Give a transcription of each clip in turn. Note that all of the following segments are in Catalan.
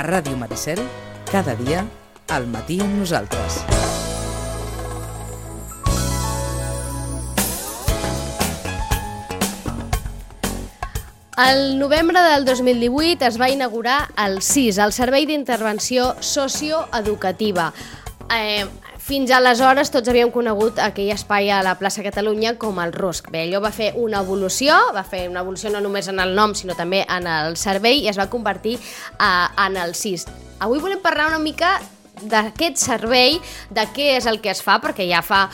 Ràdio Maricel, cada dia, al matí amb nosaltres. El novembre del 2018 es va inaugurar el SIS, el Servei d'Intervenció Socioeducativa. Fins aleshores tots havíem conegut aquell espai a la plaça Catalunya com el RUSC. Bé, allò va fer una evolució no només en el nom, sinó també en el servei, i es va convertir en el SIS. Avui volem parlar una mica d'aquest servei, de què és el que es fa, perquè ja fa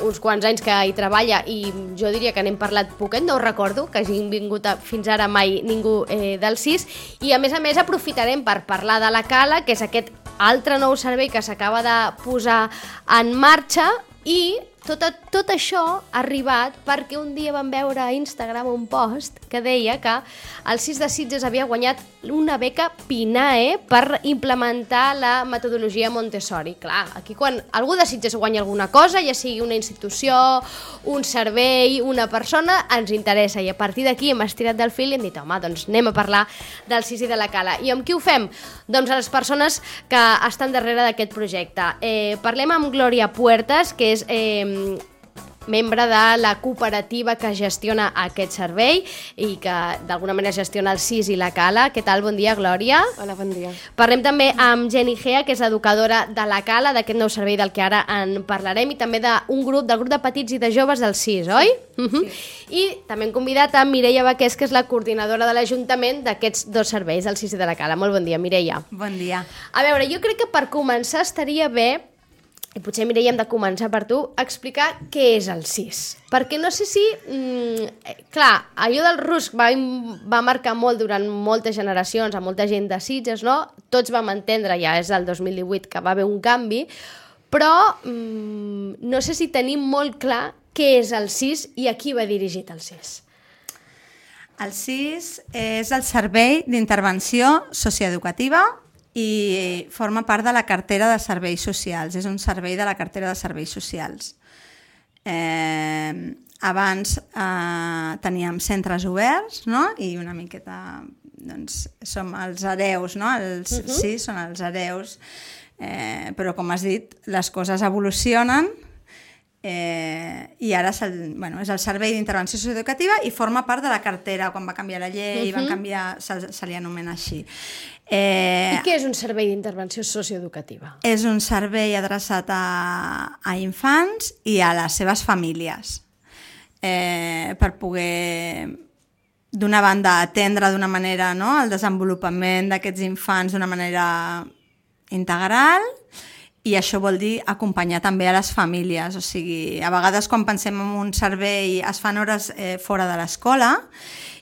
uns quants anys que hi treballa i jo diria que n'hem parlat poquet, no ho recordo que hagin vingut fins ara mai ningú del SIS, i a més aprofitarem per parlar de la Cala, que és aquest altre nou servei que s'acaba de posar en marxa, i tot això ha arribat perquè un dia vam veure a Instagram un post que deia que el SIS de Sitges havia guanyat una beca PINAE per implementar la metodologia Montessori. Clar, aquí quan algú de Sitges guanya alguna cosa, ja sigui una institució, un servei, una persona, ens interessa, i a partir d'aquí hem estirat del fil i hem dit, home, doncs anem a parlar del SIS i de la Cala. I amb qui ho fem? Doncs a les persones que estan darrere d'aquest projecte. Parlem amb Glòria Puertas, que és membre de la cooperativa que gestiona aquest servei i que d'alguna manera gestiona el SIS i la Cala. Què tal? Bon dia, Glòria. Hola, bon dia. Parlem també amb Jenny Gea, que és educadora de la Cala, d'aquest nou servei del que ara en parlarem, i també del grup de petits i de joves del SIS, oi? Sí. I també hem convidat a Mireia Baqués, que és la coordinadora de l'Ajuntament d'aquests dos serveis, del SIS i de la Cala. Molt bon dia, Mireia. Bon dia. A veure, jo crec que per començar estaria bé, i potser, Mireia, hem de començar per tu, explicar què és el SIS. Perquè no sé si... clar, allò del RUSC va marcar molt durant moltes generacions, a molta gent de Sitges, no? Tots vam entendre, ja és el 2018, que va haver un canvi, però no sé si tenim molt clar què és el SIS i a qui va dirigit el SIS. El SIS és el Servei d'Intervenció Socioeducativa i forma part de la cartera de serveis socials. És un servei de la cartera de serveis socials. Abans teníem centres oberts, no? I una miqueta, doncs, som els hereus, no? Sí, són els hereus, però com has dit, les coses evolucionen, i ara és el Servei d'Intervenció Socioeducativa i forma part de la cartera. Quan va canviar la llei, se li anomena així. I què és un servei d'intervenció socioeducativa? És un servei adreçat a infants i a les seves famílies, per poder, d'una banda, atendre d'una manera, no, el desenvolupament d'aquests infants d'una manera integral, i això vol dir acompanyar també a les famílies. O sigui, a vegades quan pensem en un servei es fan hores fora de l'escola,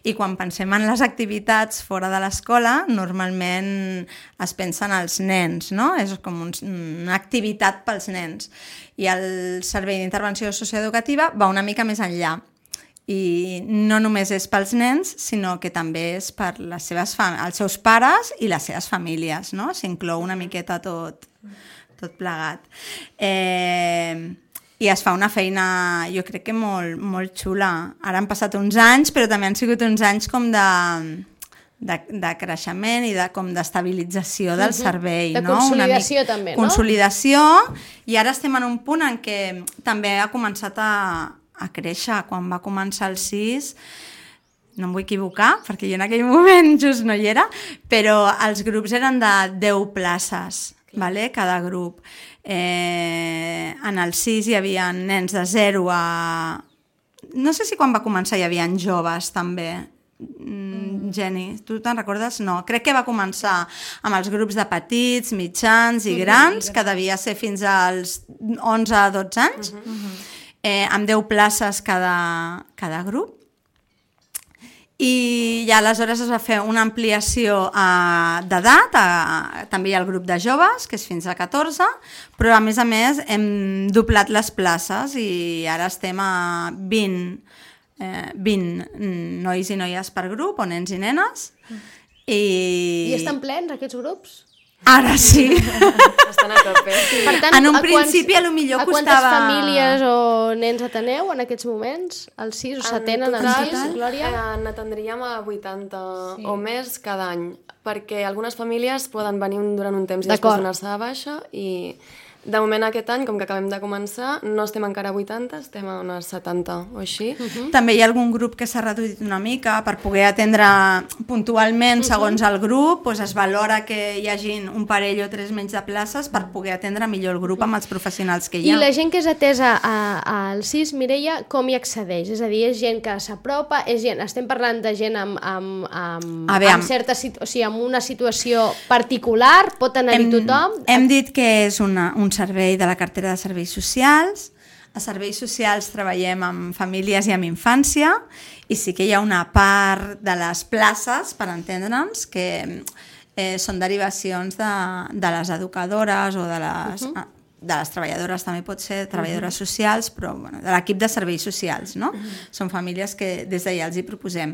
i quan pensem en les activitats fora de l'escola normalment es pensa en els nens, no? És com una activitat pels nens. I el Servei d'Intervenció Socioeducativa va una mica més enllà. I no només és pels nens, sinó que també és per els seus pares i les seves famílies, no? S'inclou una miqueta tot plegat. I es fa una feina, jo crec que molt xula. Ara han passat uns anys, però també han sigut uns anys com de creixement i com d'estabilització del servei. De consolidació també, no? Consolidació, i ara estem en un punt en què també ha començat a créixer. Quan va començar el SIS, no em vull equivocar, perquè jo en aquell moment just no hi era, però els grups eren de 10 places, cada grup. En el SIS hi havia nens de 0 a... No sé si quan va començar hi havia joves també. Jenny, tu te'n recordes? No, crec que va començar amb els grups de petits, mitjans i grans, que devia ser fins als 11-12 anys, amb 10 places cada grup. I ja aleshores es va fer una ampliació d'edat, també hi ha el grup de joves, que és fins a 14, però a més hem doblat les places i ara estem a 20 nois i noies per grup, o nens i nenes. I estan plens aquests grups? Ara sí. Estan a tope. Per tant, En un principi a lo millor a quantes costava... famílies o nens ateneu en aquests moments? El 6 o s'atenen el 6, Glòria? N'atendríem a 80 o més cada any, perquè algunes famílies poden venir durant un temps i després donar-se de baixa i de moment aquest any, com que acabem de començar, no estem encara a 80, estem a unes 70 o així. També hi ha algun grup que s'ha reduït una mica per poder atendre puntualment segons el grup, doncs es valora que hi hagin un parell o 3 menys de places per poder atendre millor el grup amb els professionals que hi ha. I la gent que és atesa al CIS, Mireia, com hi accedeix? És a dir, és gent que s'apropa, estem parlant de gent amb una situació particular, pot anar-hi tothom? Hem dit que és un servei de la cartera de serveis socials. A serveis socials treballem amb famílies i amb infància i sí que hi ha una part de les places, per entendre'ns, que són derivacions de les educadores o de les treballadores, també pot ser treballadores socials, però bueno, de l'equip de serveis socials, no? Són famílies que des d'allà els hi proposem.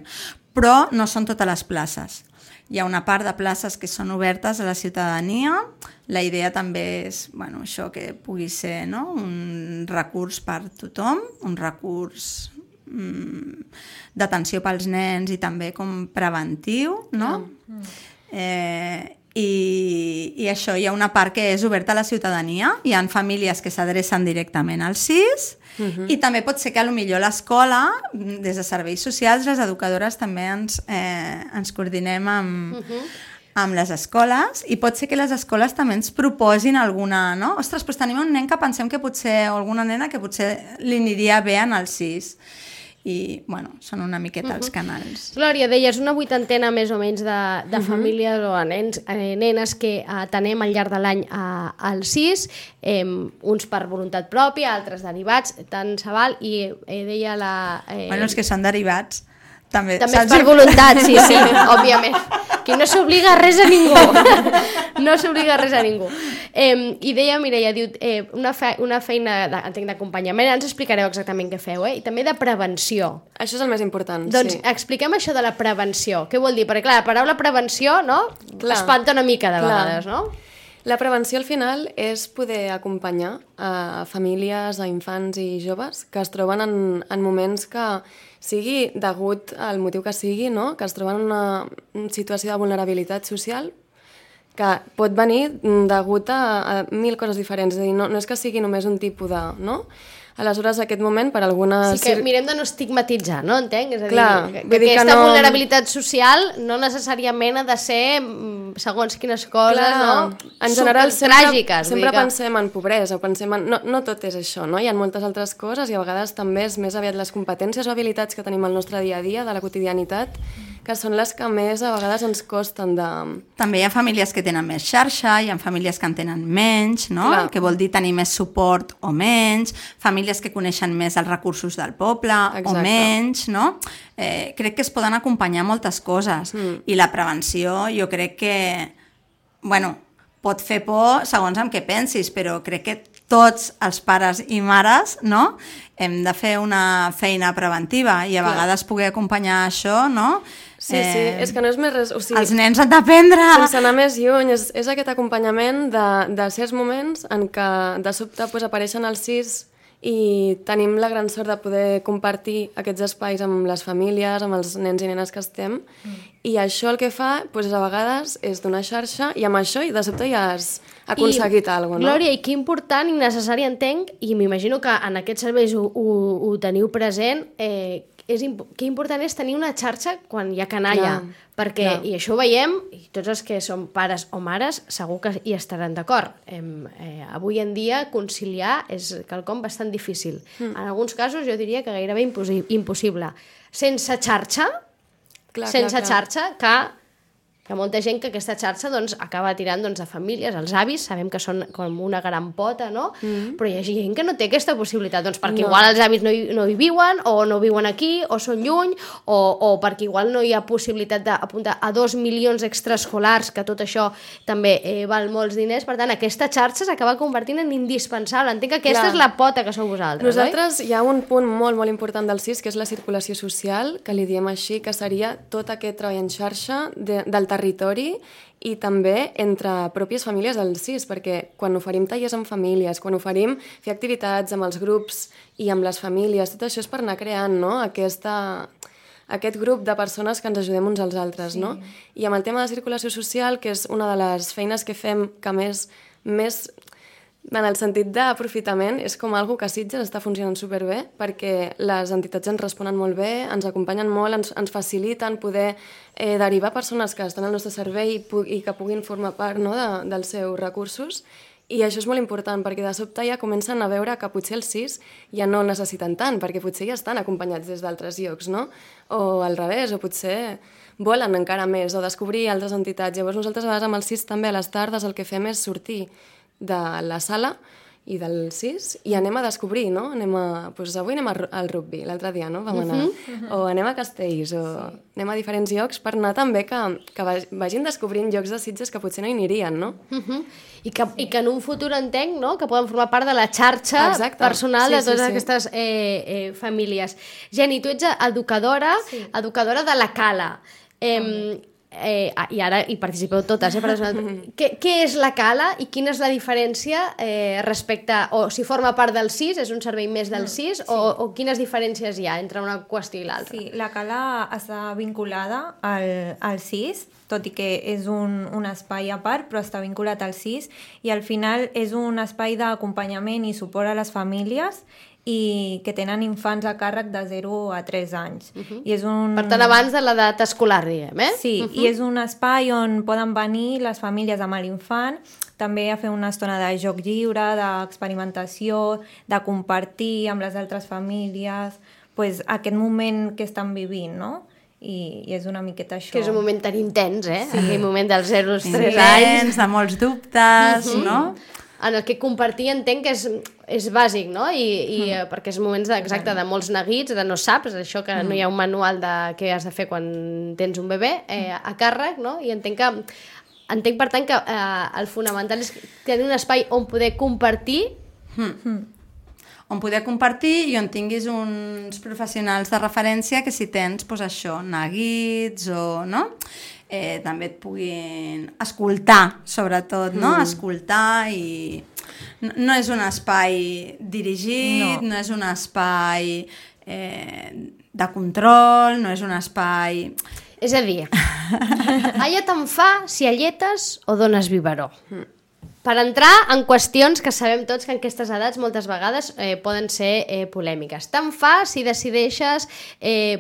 Però no són totes les places. Hi ha una part de places que són obertes a la ciutadania. La idea també és això, que pugui ser un recurs per tothom, un recurs d'atenció pels nens i també com preventiu, no? I això, hi ha una part que és oberta a la ciutadania. Hi ha famílies que s'adrecen directament al CIS i també pot ser que potser l'escola, des de serveis socials, les educadores també ens coordinem amb les escoles i pot ser que les escoles també ens proposin alguna, no? Ostres, doncs tenim un nen que pensem que potser, o alguna nena que potser li aniria bé en el CIS. I, són una miqueta els canals. Glòria, deies una 80ena més o menys de famílies o nenes que atenem al llarg de l'any al CIS, uns per voluntat pròpia, altres derivats, tant se val, i deia la... Els que són derivats també és per voluntat, sí, òbviament. Que no s'obliga a res a ningú. No s'obliga a res a ningú. I deia Mireia, diu, una feina d'acompanyament, ens explicareu exactament què feu, i també de prevenció. Això és el més important, doncs expliquem això de la prevenció. Què vol dir? Perquè clar, la paraula prevenció, no? Espanta una mica de vegades, no? La prevenció al final és poder acompanyar a famílies, a infants i joves que es troben en moments que sigui degut al motiu que sigui, no? Que es troben en una situació de vulnerabilitat social que pot venir degut a 1000 coses diferents. És a dir, no és que sigui només un tipus de... No? Aleshores, aquest moment, per algunes... Sí que mirem de no estigmatitzar, no? Entenc? És a dir, que aquesta vulnerabilitat social no necessàriament ha de ser segons quines coses, no? En general, tràgiques. Sempre pensem en pobresa, pensem en... No tot és això, no? Hi ha moltes altres coses i a vegades també és més aviat les competències o habilitats que tenim al nostre dia a dia, de la quotidianitat, que són les que més a vegades ens costen de... També hi ha famílies que tenen més xarxa, hi ha famílies que en tenen menys, no? Que vol dir tenir més suport o menys, famílies que coneixen més els recursos del poble o menys, no? Crec que es poden acompanyar moltes coses i la prevenció jo crec que, pot fer por segons amb què pensis, però crec que tots els pares i mares, no? Hem de fer una feina preventiva i a vegades poder acompanyar això, no? Sí, és que no és més res... O sigui, els nens han d'aprendre... Sense anar més lluny, és aquest acompanyament de certs moments en què de sobte apareixen els CIS i tenim la gran sort de poder compartir aquests espais amb les famílies, amb els nens i nenes que estem, i això el que fa, a vegades, és donar xarxa, i amb això de sobte ja has aconseguit alguna cosa, no? Glòria, i que important i necessari entenc, i m'imagino que en aquests serveis ho teniu present, que important és tenir una xarxa quan hi ha canalla, perquè, i això ho veiem, i tots els que som pares o mares segur que hi estaran d'acord. Avui en dia conciliar és quelcom bastant difícil. En alguns casos jo diria que gairebé impossible. Sense xarxa, xarxa, que molta gent que aquesta xarxa acaba tirant de famílies, els avis, sabem que són com una gran pota, no? Però hi ha gent que no té aquesta possibilitat, perquè igual els avis no hi viuen, o no viuen aquí, o són lluny, o perquè igual no hi ha possibilitat d'apuntar a 2 milions extraescolars, que tot això també val molts diners, per tant aquesta xarxa s'acaba convertint en indispensable. Entenc que aquesta és la pota que sou vosaltres, Nosaltres hi ha un punt molt, molt important del CIS, que és la circulació social, que li diem així, que seria tot aquest treball en xarxa del territori i també entre pròpies famílies del CIS, perquè quan oferim tallers amb famílies, quan oferim fer activitats amb els grups i amb les famílies, tot això és per anar creant, no?, aquest grup de persones que ens ajudem uns als altres, no? I amb el tema de circulació social, que és una de les feines que fem que més en el sentit d'aprofitament, és com algo que a Sitges està funcionant superbé, perquè les entitats ens responen molt bé, ens acompanyen molt, ens faciliten poder derivar persones que estan al nostre servei i que puguin formar part, no?, dels seus recursos. I això és molt important, perquè de sobte ja comencen a veure que potser els CIS ja no necessiten tant, perquè potser ja estan acompanyats des d'altres llocs, no? O al revés, o potser volen encara més, o descobrir altres entitats. Llavors nosaltres a vegades amb el CIS també a les tardes el que fem és sortir de la sala i del CIS i anem a descobrir, no? Doncs avui anem al rugby, l'altre dia, no? Vam anar. O anem a Castells, o anem a diferents llocs per anar també que vagin descobrint llocs de Sitges que potser no hi anirien, no? I que en un futur entenc, no?, que poden formar part de la xarxa personal de totes aquestes famílies. Jenny, tu ets educadora de la Cala. I ara hi participeu totes, què és la Cala i quina és la diferència respecte, o si forma part del CIS, és un servei més del CIS, o quines diferències hi ha entre una qüestió i l'altra? Sí, la Cala està vinculada al CIS, tot i que és un espai a part, però està vinculat al CIS, i al final és un espai d'acompanyament i suport a les famílies i que tenen infants a càrrec de 0 a 3 anys. I és per tant, abans de l'edat escolar, diguem, Sí, i és un espai on poden venir les famílies amb l'infant, també a fer una estona de joc lliure, d'experimentació, de compartir amb les altres famílies, aquest moment que estan vivint, no? I és una miqueta això. Que és un moment tan intens, Sí. Aquell moment dels 0 als 3 anys. De molts dubtes, no? En el que compartir entenc que és bàsic, no? I perquè és moments de molts neguits, de no saps, això que no hi ha un manual de què has de fer quan tens un bebè a càrrec, no? I entenc per tant que el fonamental és tenir un espai on poder compartir on poder compartir i on tinguis uns professionals de referència que si tens, doncs això, neguits o, no? També et puguin escoltar, sobretot, no? Escoltar i... No és un espai dirigit, no és un espai de control, no és un espai... És a dir, allà te'n fa si alletes o dones biberó. Per entrar en qüestions que sabem tots que en aquestes edats moltes vegades poden ser polèmiques. Te'n fa si decideixes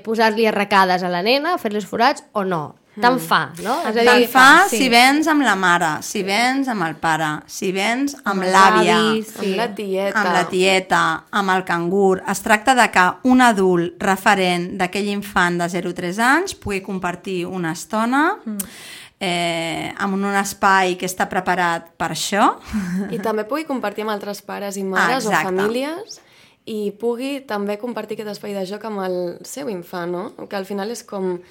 posar-li arracades a la nena, fer-li forats o no. Te'n fa, no? Te'n fa si vens amb la mare, si vens amb el pare, si vens amb l'àvia, amb la tieta, amb el cangur. Es tracta de que un adult referent d'aquell infant de 0 a 3 anys pugui compartir una estona en un espai que està preparat per això. I també pugui compartir amb altres pares i mares o famílies i pugui també compartir aquest espai de joc amb el seu infant, no? Que al final és com...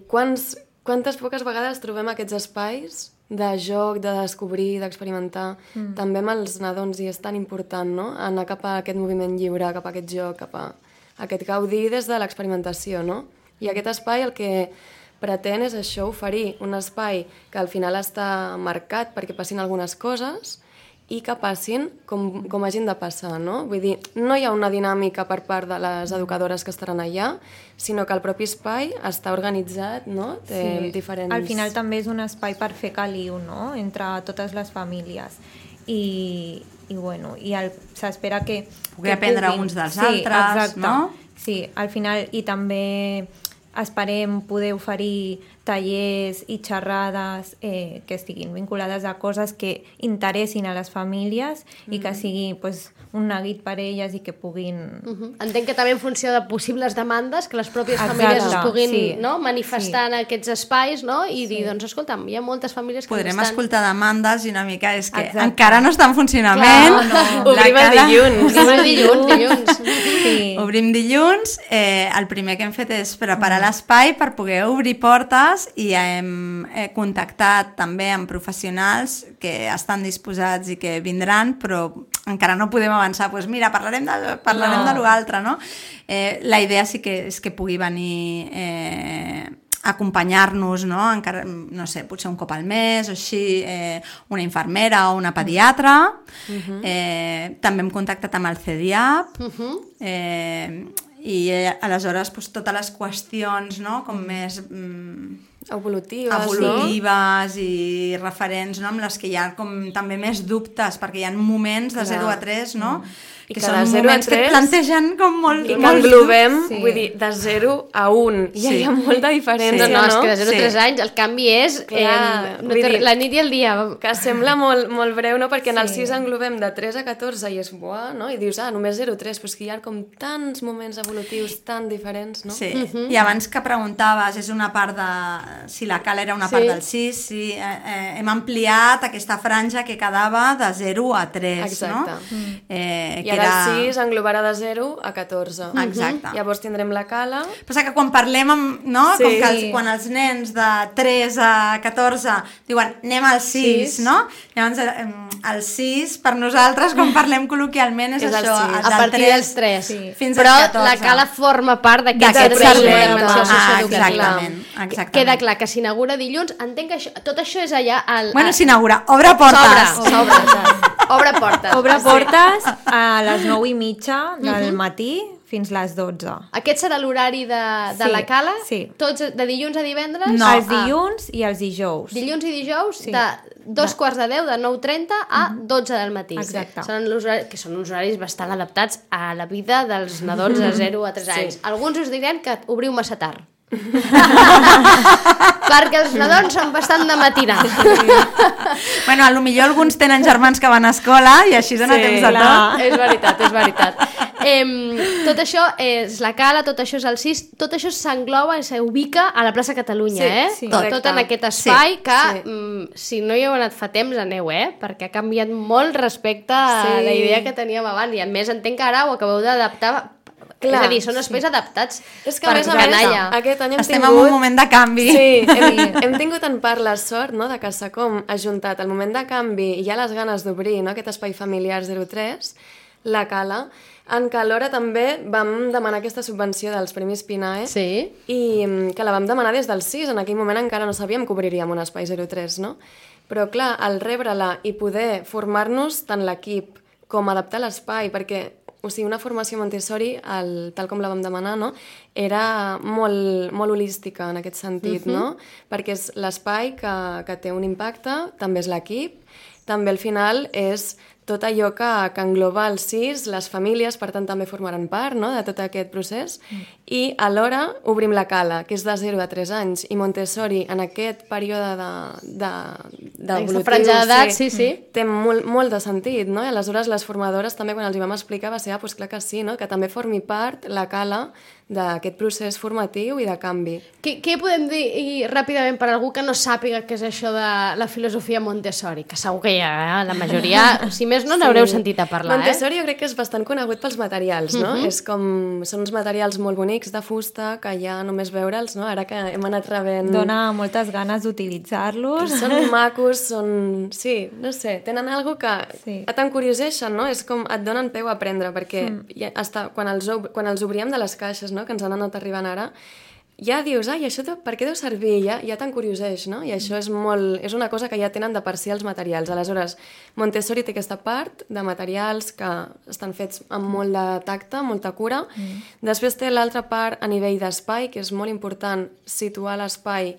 Quantes poques vegades trobem aquests espais de joc, de descobrir, d'experimentar, també amb els nadons, i és tan important, no?, anar cap a aquest moviment lliure, cap a aquest joc, cap a aquest gaudir des de l'experimentació, no? I aquest espai el que pretén és això, oferir un espai que al final està marcat perquè passin algunes coses i que passin com hagin de passar, no? Vull dir, no hi ha una dinàmica per part de les educadores que estaran allà, sinó que el propi espai està organitzat, no? Té diferents... Al final també és un espai per fer caliu, no?, entre totes les famílies. I s'espera que... Poder aprendre uns dels altres, no? Sí, al final, i també esperem poder oferir tallers i xerrades que estiguin vinculades a coses que interessin a les famílies i que sigui un neguit per elles i que puguin... Entenc que també en funció de possibles demandes que les pròpies famílies es puguin manifestar en aquests espais, no? I dir, doncs, escolta'm, hi ha moltes famílies que podrem escoltar demandes i una mica és que encara no està en funcionament. Obrim el dilluns. Obrim dilluns. El primer que hem fet és preparar l'espai per poder obrir portes i hem contactat també amb professionals que estan disposats i que vindran, però encara no podem avançar. Doncs mira, parlarem de l'altre, no? La idea sí que és que pugui venir acompanyar-nos, no? Encara, no sé, potser un cop al mes o així, una infermera o una pediatra. També hem contactat amb el CDIAP i aleshores doncs, totes les qüestions, no? Com més evolutives i referents, no? Amb les que hi ha com també més dubtes, perquè hi ha moments de 0 a 3, no? I que que són de 0 a moments que 3 et plantegen com molt... I que englobem, vull dir, de 0 a 1. Ja hi ha molta diferència, No, és que de 0 a 3 anys el canvi és la nit i el dia. Que sembla molt breu, no? Perquè en el 6 englobem de 3 a 14 i és buà, no? I dius, només 0 a 3, però és que hi ha com tants moments evolutius tan diferents, no? Sí, i abans que preguntaves, és una part de... si la cala era una part del 6, sí, hem ampliat aquesta franja que quedava de 0 a 3, exacte. No? I ara el 6 englobarà de 0 a 14. Exacte. Llavors tindrem la cala. Però que quan parlem amb, no? Com que quan els nens de 3 a 14 diuen anem al 6, no? Llavors el 6 per nosaltres quan parlem col·loquialment és això, a partir dels 3 fins però als 14. la cala forma part d'aquest servei de dimensió socioeducativa. Exactament. Queda clar que s'inaugura dilluns, entenc que tot això és allà bueno, s'inaugura, obre portes obre portes obre portes a les 9:30 del matí fins les 12. Aquest serà l'horari de la cala? Sí. Tots de dilluns a divendres? No. Els dilluns i els dijous. Dilluns i dijous de 2:45, de 9:30 a 12 del matí. Exacte. Que són uns horaris bastant adaptats a la vida dels nadons de 0 a 3 anys. Alguns us diran que obriu massa tard. Perquè els nadons són bastant de matinar. Bueno, a lo millor alguns tenen germans que van a escola i així dona temps de tot. És veritat. Tot això és la cala, tot això és el 6, tot això s'engloba i s'ubica a la plaça Catalunya, tot en aquest espai que si no hi heu anat fa temps aneu, perquè ha canviat molt respecte a la idea que teníem abans i a més entenc que ara ho acabeu d'adaptar. Clar, és a dir, són espais adaptats per canalla. Aquest any estem en un moment de canvi. Sí, hem tingut en part la sort, no?, de que s'ha com ajuntat el moment de canvi i hi ha les ganes d'obrir, no?, aquest espai familiar 03, la cala, en què alhora també vam demanar aquesta subvenció dels Premis PINAE i que la vam demanar des del 6, en aquell moment encara no sabíem que obriríem un espai 03, no? Però clar, al rebre-la i poder formar-nos tant l'equip com adaptar l'espai, perquè o sigui, una formació Montessori, tal com la vam demanar, no? Era molt holística en aquest sentit, no? Perquè és l'espai que té un impacte, també és l'equip, també al final és tot allò que engloba el 6, les famílies, per tant també formaran part, no?, de tot aquest procés, i alhora obrim la cala, que és de 0 a 3 anys, i Montessori en aquest període d'evolutiu té molt de sentit, no? I aleshores les formadores també quan els hi vam explicar va ser, doncs clar que sí, no?, que també formi part la cala d'aquest procés formatiu i de canvi. Què podem dir ràpidament per algú que no sàpiga què és això de la filosofia Montessori? Que segur que ja la majoria, si més no, n'haureu sentit a parlar. Montessori jo crec que és bastant conegut pels materials, no? Són uns materials molt bonics de fusta que ja només veure'ls, no? Ara que hem anat rebent... Dona moltes ganes d'utilitzar-los. Són macos, sí, no sé, tenen alguna cosa que t'encurioseixen, no? És com et donen peu a aprendre, perquè quan els obríem de les caixes, que ens han anat arribant ara, ja dius, això per què deu servir? Ja t'encurioseix, no? I això és una cosa que ja tenen de per si els materials. Aleshores, Montessori té aquesta part de materials que estan fets amb molt de tacte, molta cura. Després té l'altra part a nivell d'espai, que és molt important situar l'espai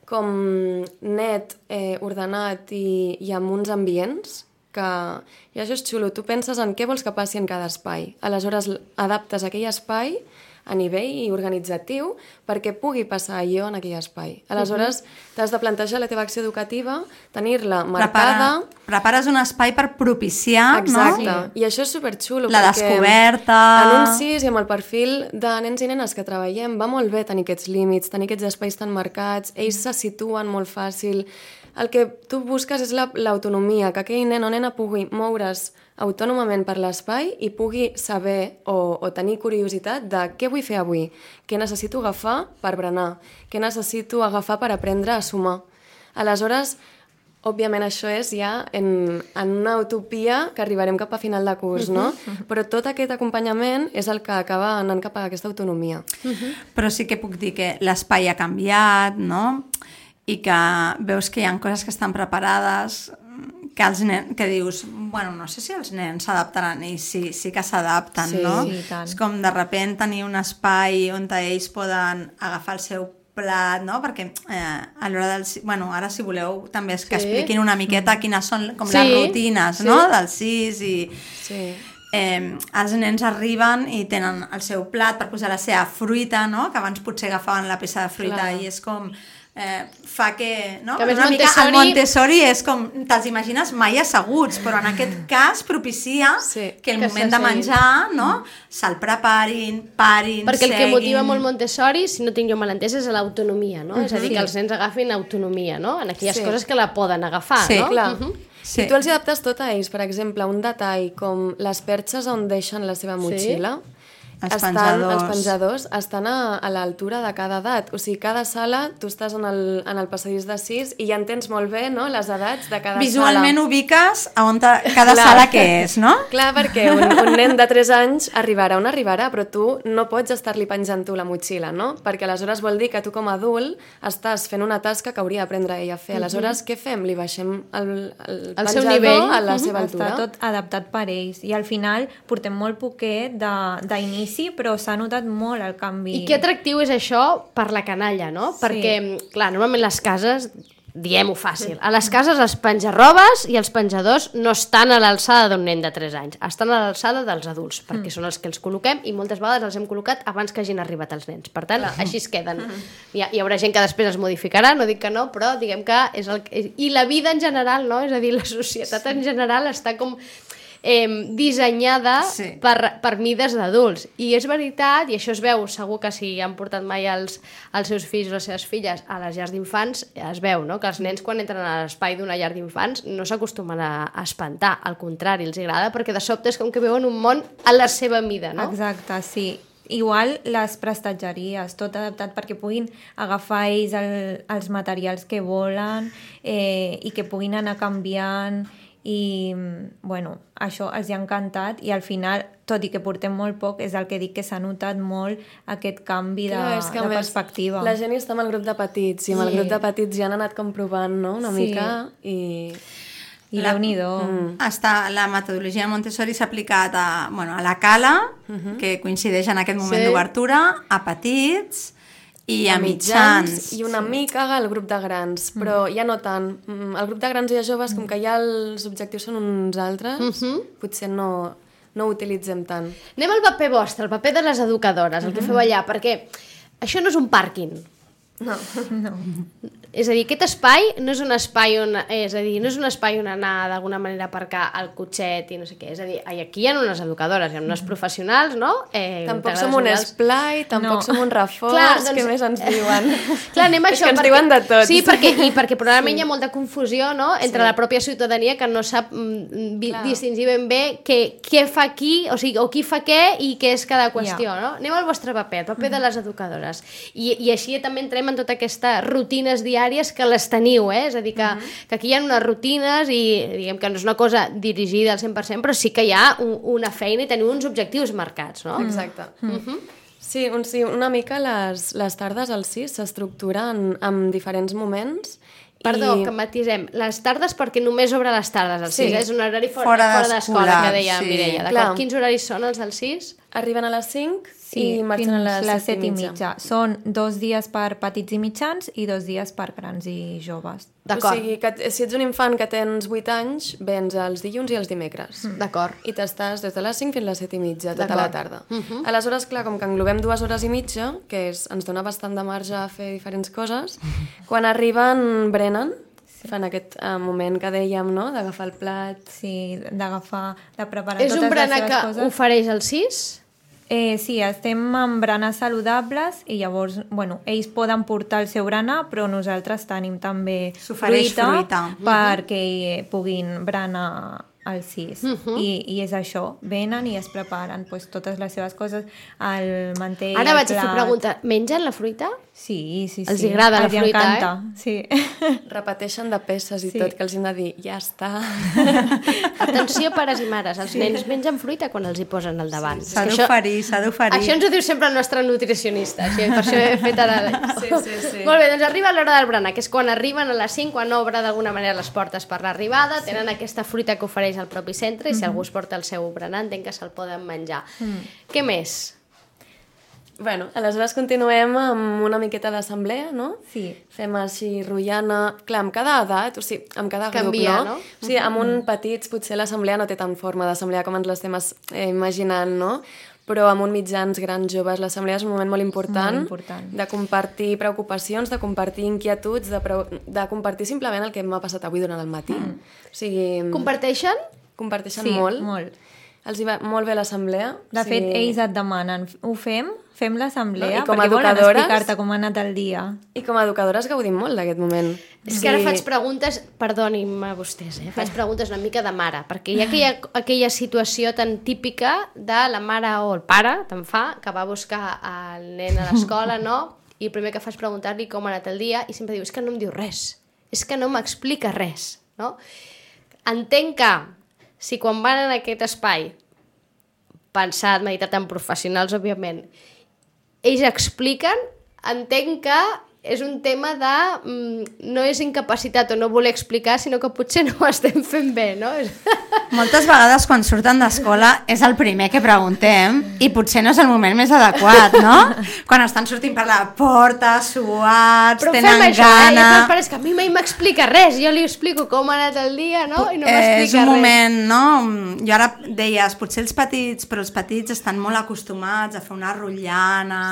com net, ordenat i amb uns ambients, i això és xulo. Tu penses en què vols que passi en cada espai. Aleshores, adaptes aquell espai a nivell organitzatiu perquè pugui passar allò en aquell espai. Aleshores, t'has de plantejar la teva acció educativa, tenir-la marcada... Prepares un espai per propiciar, exacte. No? I això és superxulo. La descoberta... En un 6 i amb el perfil de nens i nenes que treballem va molt bé tenir aquests límits, tenir aquests espais tan marcats, ells se situen molt fàcil. El que tu busques és l'autonomia, que aquell nen o nena pugui moure's autònomament per l'espai i pugui saber o tenir curiositat de què vull fer avui, què necessito agafar per berenar, què necessito agafar per aprendre a sumar. Aleshores, òbviament això és ja en una utopia que arribarem cap a final de curs, no? Però tot aquest acompanyament és el que acaba anant cap a aquesta autonomia. Però sí que puc dir que l'espai ha canviat, no? I que veus que hi ha coses que estan preparades, que els nens, que dius, bueno, no sé si els nens s'adaptaran, i sí que s'adapten, Sí, no? sí, tant. És com de sobte tenir un espai on ells poden agafar el seu plat, no? Perquè a l'hora del... Bueno, ara si voleu també és que expliquin una miqueta quines són com les rutines, no? Del CIS i... Sí. Els nens arriben i tenen el seu plat per posar la seva fruita, no? Que abans potser agafaven la peça de fruita. Clar. I és com... fa que... No? Que més una mica Montessori- el Montessori és com... Te'ls imagines mai asseguts, però en aquest cas propicia que el que moment de s'asseguin. menjar, no? Se'l preparin, parin, Perquè el que seguin... motiva molt Montessori, si no tinc jo mal entès, és l'autonomia, no? És a dir, que els nens agafin autonomia, no? En aquelles coses que la poden agafar, Sí, no? Clar. Sí. I tu els hi adaptes tot a ells. Per exemple, un detall com les perxes on deixen la seva motxilla, Els penjadors. els penjadors estan a l'altura de cada edat. O sigui, cada sala, tu estàs en el passadís de 6 i ja entens molt bé, no?, les edats de cada Visualment sala. ubiques a on cada Clar. sala que és, no? Clar, perquè un nen de 3 anys arribarà on arribarà, però tu no pots estar-li penjant tu la motxilla, no? Perquè aleshores vol dir que tu com a adult estàs fent una tasca que hauria d'aprendre ell a fer. Aleshores, què fem? Li baixem el Al seu penjador nivell. a la seva altura. Està tot adaptat per ells. I al final portem molt poquet d'inici, però s'ha notat molt el canvi. I que atractiu és això per la canalla, no? Sí. Perquè, clar, normalment les cases, diguem-ho fàcil, a les cases els penjarrobes i els penjadors no estan a l'alçada d'un nen de 3 anys, estan a l'alçada dels adults, perquè són els que els col·loquem i moltes vegades els hem col·locat abans que hagin arribat els nens. Per tant, així es queden. Hi haurà gent que després es modificarà, no dic que no, però diguem que és el que... I la vida en general, no? És a dir, la societat en general està com... dissenyada per mides d'adults. I és veritat, i això es veu, segur que si han portat mai els seus fills o les seves filles a les llars d'infants, es veu, no?, que els nens quan entren a l'espai d'una llar d'infants no s'acostumen a espantar, al contrari, els agrada, perquè de sobte és com que veuen un món a la seva mida, no? Exacte, sí. Igual les prestatgeries, tot adaptat perquè puguin agafar ells els materials que volen i que puguin anar canviant i, bueno, això els ha encantat i al final, tot i que portem molt poc, és el que dic que s'ha notat molt aquest canvi de És que, a més, perspectiva. la gent està amb el grup de petits i amb el grup de petits ja han anat comprovant, no?, una mica i Déu-n'hi-do. La metodologia Montessori s'ha aplicat a la cala, que coincideix en aquest moment d'obertura, a petits i a mitjans. i una mica al grup de grans, però ja no tant. El grup de grans i de joves, com que ja els objectius són uns altres, potser no ho utilitzem tant. Anem al paper vostre, el paper de les educadores, el que feu allà, perquè això no és un pàrquing. No. És a dir, aquest espai no és un espai on, anar d'alguna manera a aparcar el cotxet i no sé què. És a dir, aquí hi ha unes educadores, hi ha unes professionals, no? Tampoc som un esplai, tampoc som un reforç, Clar, doncs... què més ens diuen? Clar, anem a És això. que ens diuen de tot. Sí, perquè probablement hi ha molta confusió, no?, entre la pròpia ciutadania que no sap distingir ben bé què fa qui, o sigui, o qui fa què i què és cada qüestió, no? Anem al vostre paper, el paper de les educadores. I així també entrem en totes aquestes rutines diàries que les teniu, és a dir, que aquí hi ha unes rutines i diguem que no és una cosa dirigida al 100%, però sí que hi ha una feina i teniu uns objectius marcats, no? Exacte. Sí, una mica les tardes al CIS s'estructuren en diferents moments. Perdó, que matisem. Les tardes perquè només obre les tardes al CIS, és un horari fora d'escola, que deia Mireia. D'acord? Quins horaris són els del CIS? Arriben a les 5 Sí, i marxen a les 7:30. Són 2 dies per petits i mitjans i 2 dies per grans i joves. D'acord. O sigui, que si ets un infant que tens 8 anys, vens els dilluns i els dimecres. D'acord. I t'estàs des de les 5 fins a les 7:30, tota la tarda. Aleshores, clar, com que englobem 2 hores i mitja, que ens dona bastant de marge a fer diferents coses, quan arriben berenar, fan aquest moment que dèiem, no?, d'agafar el plat. Sí, d'agafar, de preparar És totes un les berenar seves que coses. ofereix el CIS? Sí, estem amb berenars saludables i llavors, bueno, ells poden portar el seu berenar, però nosaltres tenim també S'ofereix fruita. perquè puguin berenar al CIS. I és això, venen i es preparen pues, totes les seves coses, el mantell, Ara el vaig a fer plat. pregunta, mengen la fruita? Sí. Els hi agrada la fruita, encanta, sí. Repeteixen de peces i Sí. tot, que els hem de dir, ja està. Atenció, pares i mares, els nens mengen fruita quan els hi posen al davant. És S'ha que això- d'oferir, s'ha d'oferir. Això ens ho diu sempre el nostre nutricionista, així, per això he fet ara... Sí. Molt bé, doncs arriba l'hora del berenar, que és quan arriben a les 5, quan obre d'alguna manera les portes per l'arribada, tenen aquesta fruita que ofereix el propi centre i si algú es porta el seu berenar entenc que se'l poden menjar. Què més? Bueno, aleshores continuem amb una miqueta d'assemblea, no? Sí. Fem així rotllana... Clar, amb cada edat, o sigui, amb cada Canvia, grup, no? no? O sigui, amb un petits potser l'assemblea no té tant forma d'assemblea com ens l'estem imaginant, no? Però amb un mitjans, grans, joves, l'assemblea és un moment molt important, Molt important. de compartir preocupacions, de compartir inquietuds, de compartir simplement el que m'ha passat avui durant el matí. O sigui, Comparteixen? comparteixen Sí, molt. molt. Els hi va molt bé l'assemblea. De fet, ells et demanen, ho fem l'assemblea, No, i com a perquè volen educadores- explicar-te com ha anat el dia. I com a educadores gaudim molt d'aquest moment. És que ara faig preguntes, perdonin-me vostès, faig preguntes una mica de mare, perquè hi ha aquella situació tan típica de la mare o el pare, te'n fa, que va a buscar el nen a l'escola, no? I el primer que fa és preguntar-li com ha anat el dia i sempre diu, és que no em diu res, és que no m'explica res, no? Entenc que si quan van en aquest espai, pensat, meditat en professionals, òbviament, ells expliquen, entenc que és un tema de no és incapacitat o no voler explicar, sinó que potser no ho estem fent bé, no? Moltes vegades quan surten d'escola és el primer que preguntem i potser no és el moment més adequat, no? Quan estan sortint per la porta, suats, Però fem tenen això, gana... i després que a mi mai m'explica res, jo li explico com ha anat el dia, no? I no m'explica res. És un moment, no? Jo ara deies, potser els petits, però els petits estan molt acostumats a fer una rotllana,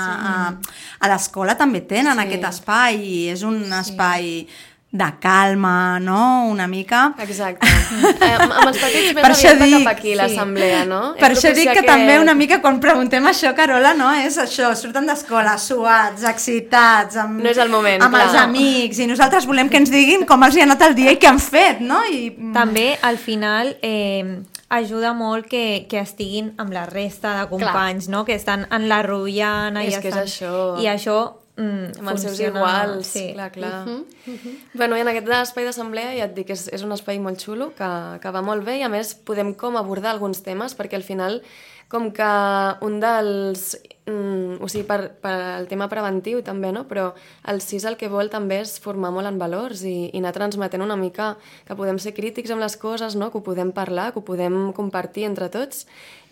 a l'escola també tenen aquest espai i és un espai de calma, no? Una mica. Exacte. Amb els petits més Per això aviat va dic- cap aquí l'assemblea, no? Per És això dic propici que també una mica quan preguntem això, Carola, no? És això, surten d'escola suats, excitats, amb, No és el moment, amb els clar. amics, i nosaltres volem que ens diguin com els hi ha anat el dia i què han fet, no? També, al final, ajuda molt que estiguin amb la resta de companys, no? Que estan en la rotllana És que és estan... això. I això amb els seus funciona, iguals, sí. clar. Bueno, i en aquest espai d'assemblea ja et dic, és un espai molt xulo, que va molt bé i a més podem com abordar alguns temes perquè al final com que un dels... o sigui, per el tema preventiu també, no? Però el CIS el que vol també és formar molt en valors i anar transmetent una mica que podem ser crítics amb les coses, no? Que ho podem parlar, que ho podem compartir entre tots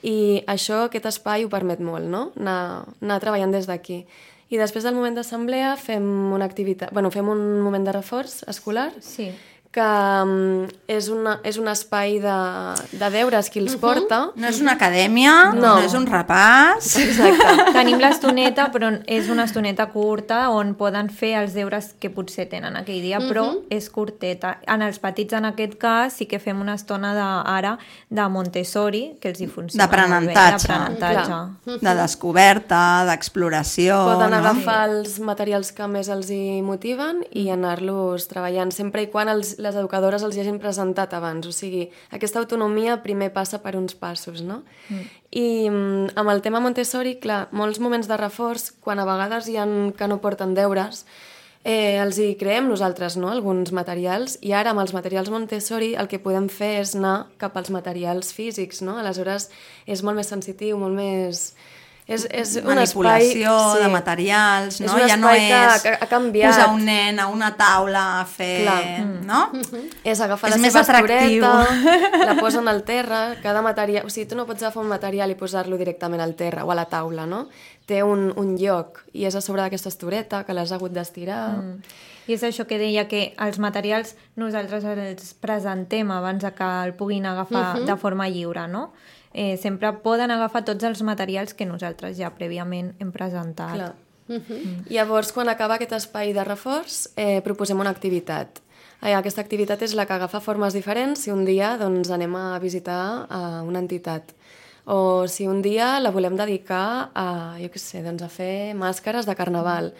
i això, aquest espai ho permet molt, no? Anar treballant des d'aquí. I després del moment d'assemblea fem una activitat, fem un moment de reforç escolar, Sí. que és un espai de deures qui els porta. No és una acadèmia, no és un repàs... Exacte. Tenim l'estoneta, però és una estoneta curta on poden fer els deures que potser tenen aquell dia, però és curteta. En els petits, en aquest cas, sí que fem una estona ara de Montessori, que els hi funciona D'aprenentatge. d'aprenentatge. De descoberta, d'exploració... Poden no? agafar els materials que més els hi motiven i anar-los treballant, sempre i quan les educadores els hi hagin presentat abans. O sigui, aquesta autonomia primer passa per uns passos, no? I amb el tema Montessori, clar, molts moments de reforç, quan a vegades hi ha que no porten deures, els hi creem nosaltres, no?, alguns materials, i ara amb els materials Montessori el que podem fer és anar cap als materials físics, no? Aleshores és molt més sensitiu, molt més... És un manipulació espai, de materials, no? És un Ja no espai és que ha canviat. posar un nen a una taula a fer... Clar. No? És agafar És la més seva atractiu. estoreta, la posen al terra, cada material... O sigui, tu no pots agafar un material i posar-lo directament al terra o a la taula, no? Té un lloc i és a sobre d'aquesta estoreta que l'has hagut d'estirar. I és això que deia, que els materials nosaltres els presentem abans de que el puguin agafar de forma lliure, no? Sempre poden agafar tots els materials que nosaltres ja prèviament hem presentat. Clar. Llavors, quan acaba aquest espai de reforç, proposem una activitat. Aquesta activitat és la que agafa formes diferents si un dia doncs, anem a visitar una entitat. O si un dia la volem dedicar a, jo què sé, doncs a fer màscares de carnaval.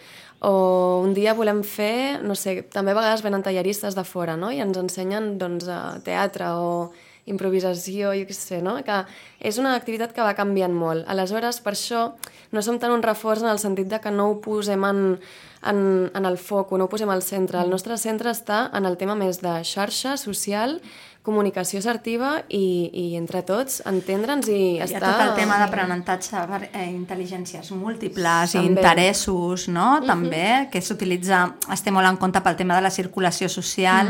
O un dia volem fer, no sé, també a vegades venen talleristes de fora, no? I ens ensenyen doncs, teatre o improvisació, jo què sé, no? Que és una activitat que va canviant molt. Aleshores, per això, no som tan un reforç en el sentit de que no ho posem en el foc, no ho posem al centre. El nostre centre està en el tema més de xarxa social, comunicació assertiva i entre tots entendre'ns i estar... Hi ha tot el tema d'aprenentatge per intel·ligències múltiples i interessos, no? També, que s'utilitza, es té molt en compte pel tema de la circulació social.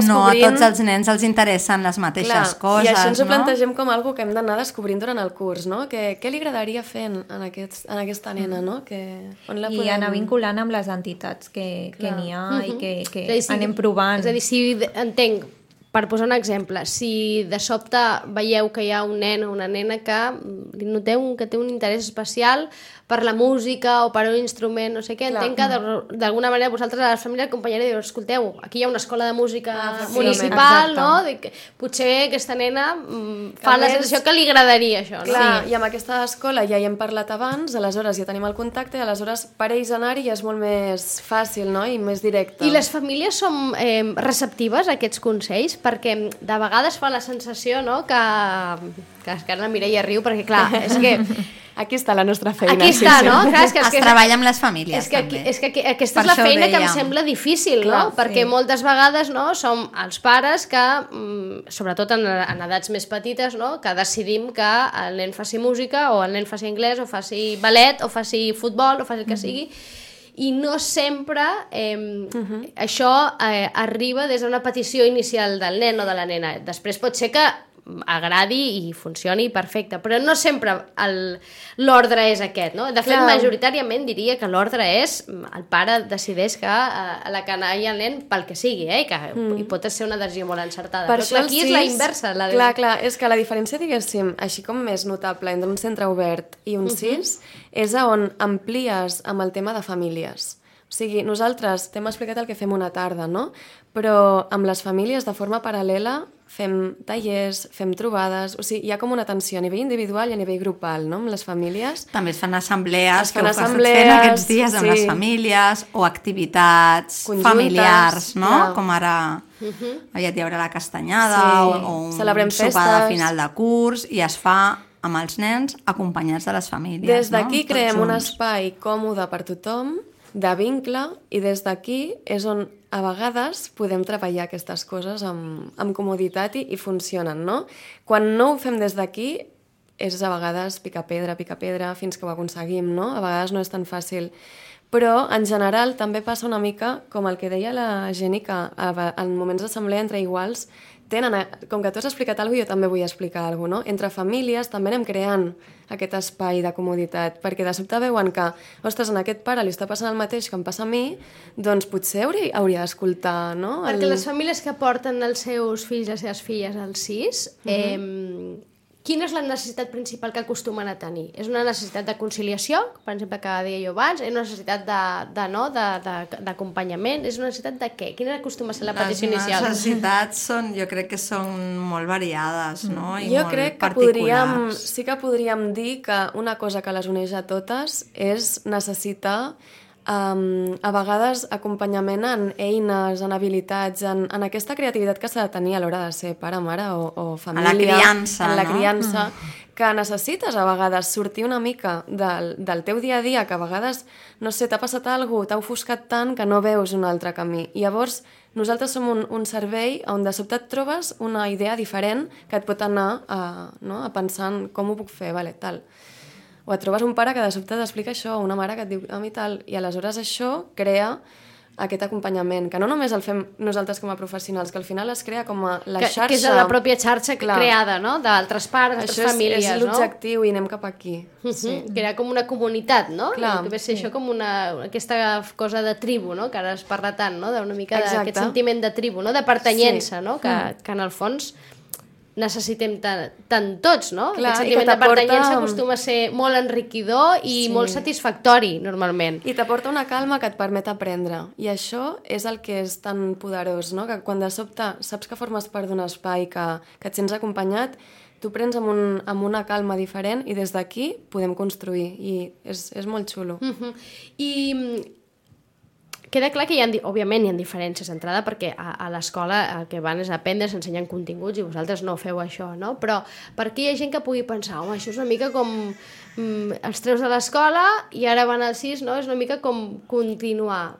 No a tots els nens els interessen les mateixes coses, i això ens ho no? plantegem com algo que hem d'anar descobrint durant el curs, no? Què li agradaria fer en aquesta nena, no? On la podem... I anar vinculant amb les entitats que n'hi ha i que anem provant. És a dir, si entenc, per posar un exemple, si de sobte veieu que hi ha un nen o una nena que li noteu que té un interès especial per la música o per un instrument, no sé què, entenc que d'alguna manera vosaltres a la família acompanyareu i diu, escolteu, aquí hi ha una escola de música municipal, no? Potser aquesta nena fa la sensació que li agradaria això, no? Clar, i amb aquesta escola ja hi hem parlat abans, aleshores ja tenim el contacte i aleshores per ells anar-hi ja és molt més fàcil, no? I més directe. I les famílies som receptives a aquests consells? Perquè de vegades fa la sensació, no?, que ara la Mireia riu, perquè clar, és que... Aquí està la nostra feina. Aquí està, no? Clar, és que es treballa amb les famílies, també. És que aquesta és la feina que em sembla difícil, no? Perquè moltes vegades, no, som els pares que, sobretot en edats més petites, no, que decidim que el nen faci música o el nen faci anglès o faci ballet o faci futbol o faci el que sigui, i no sempre això arriba des d'una petició inicial del nen o de la nena. Després pot ser que agradi i funcioni perfecte, però no sempre l'ordre és aquest, no? De fet, majoritàriament diria que l'ordre és el pare decideix que la canalla i el nen pel que sigui, que hi pot ser una decisió molt encertada, però aquí és la inversa. Clar, és que la diferència, diguéssim, així com més notable entre un centre obert i un CIS, és on amplies amb el tema de famílies. O sigui, nosaltres t'hem explicat el que fem una tarda, no? Però amb les famílies, de forma paral·lela, fem tallers, fem trobades, o sigui, hi ha com una atenció a nivell individual i a nivell grupal, no?, amb les famílies. També es fan assemblees, que ho estàs fent aquests dies amb les famílies, o activitats familiars, no? Com ara aviat hi haurà la castanyada o un sopar de final de curs, i es fa amb els nens acompanyats de les famílies. Des d'aquí creem un espai còmode per tothom, de vincle, i des d'aquí és on a vegades podem treballar aquestes coses amb comoditat i funcionen, no? Quan no ho fem des d'aquí és a vegades picar pedra fins que ho aconseguim, no? A vegades no és tan fàcil. Però en general també passa una mica com el que deia la Jenny, que en moments d'assemblea entre iguals com que tu has explicat alguna cosa, jo també vull explicar alguna cosa, no? Entre famílies també anem creant aquest espai de comoditat, perquè de sobte veuen que, ostres, a aquest pare li està passant el mateix que em passa a mi, doncs potser hauria d'escoltar, no? Perquè les famílies que porten els seus fills i les seves filles al CIS, quina és la necessitat principal que acostumen a tenir? És una necessitat de conciliació, per exemple, que deia jo abans? És una necessitat d'acompanyament? És una necessitat de què? Quina acostuma a ser la petició inicial? Les necessitats jo crec que són molt variades, no? I jo molt crec que sí que podríem dir que una cosa que les uneix a totes és necessitar a vegades acompanyament en eines, en habilitats, en aquesta creativitat que s'ha de tenir a l'hora de ser pare, mare o família. En la criança, en la criança, que necessites a vegades sortir una mica del teu dia a dia, que a vegades, no sé, t'ha passat alguna cosa, t'ha ofuscat tant que no veus un altre camí. I llavors nosaltres som un servei on de sobte et trobes una idea diferent que et pot anar a pensar en com ho puc fer, vale, tal. O et trobes un pare que de sobte t'explica això, o una mare que et diu a mi tal, i aleshores això crea aquest acompanyament, que no només el fem nosaltres com a professionals, que al final es crea com a la xarxa... Que és la pròpia xarxa creada, no?, d'altres pares, d'altres famílies, no? Això és l'objectiu i anem cap aquí. Crea com una comunitat, no? Clar, que ve ser això com aquesta cosa de tribu, no?, que ara es parla tant, no?, d'una mica d'aquest sentiment de tribu, no?, de pertanyença, no?, que en el fons necessitem tant tots, no? Clar, aquest sentiment de pertanyença acostuma a ser molt enriquidor i molt satisfactori, normalment. I t'aporta una calma que et permet aprendre. I això és el que és tan poderós, no? Que quan de sobte saps que formes part d'un espai, que et sents acompanyat, tu prens amb una calma diferent i des d'aquí podem construir. I és molt xulo. I queda clar que òbviament hi ha diferències d'entrada, perquè a l'escola el que van és aprendre, s'ensenyen continguts i vosaltres no feu això, no? Però per aquí hi ha gent que pugui pensar, home, això és una mica com els treus de l'escola i ara van al 6, no? És una mica com continuar.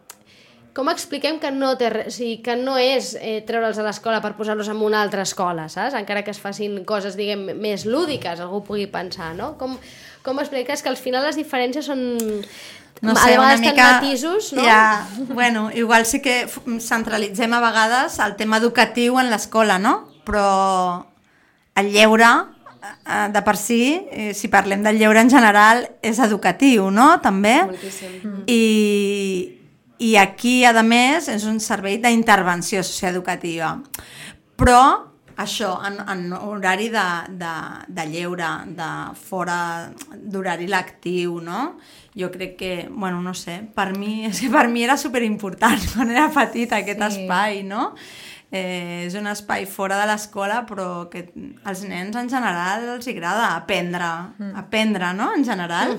Com expliquem que no és treure'ls a l'escola per posar-los en una altra escola, saps? Encara que es facin coses, diguem, més lúdiques, algú pugui pensar, no? Com expliques que al final les diferències són... No sé, a una vegades mica... matisos, no? Ja, bueno, igual sí que centralitzem a vegades el tema educatiu en l'escola, no? Però el lleure, de per si parlem del lleure en general, és educatiu, no? També. Moltíssim. I aquí, a més, és un servei d'intervenció socioeducativa. Però, això, en horari de lleure, de fora d'horari lectiu, no? Jo crec que, bueno, no sé, per mi era superimportant quan era petita aquest espai, no? És un espai fora de l'escola, però que als nens en general els agrada aprendre, no? En general.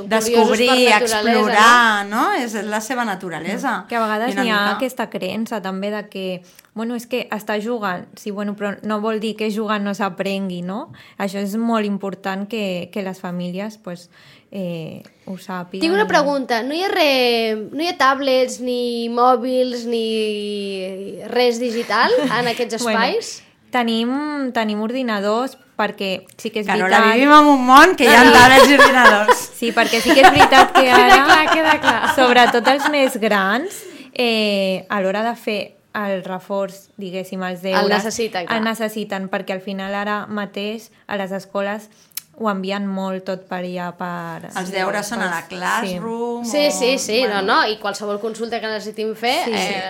Descobrir, explorar, no? És la seva naturalesa. Que a vegades n'hi ha aquesta creença també de que, bueno, és que està jugant, sí, bueno, però no vol dir que jugant no s'aprengui, no? Això és molt important que les famílies, pues, ho sàpiguen. Tinc una pregunta, no hi ha tablets, ni mòbils, ni res digital en aquests espais? Bueno, tenim ordinadors perquè sí que és veritat... Carola, vivim en un món que hi ha tablets i ordinadors. Sí, perquè sí que és veritat que ara, queda clar. sobretot els més grans, a l'hora de fer el reforç, diguéssim, els deures... El necessiten, clar. El necessiten, perquè al final ara mateix a les escoles ho envien molt tot per allà per... Els deures són a la Classroom... Sí, bueno. no, i qualsevol consulta que necessitin fer,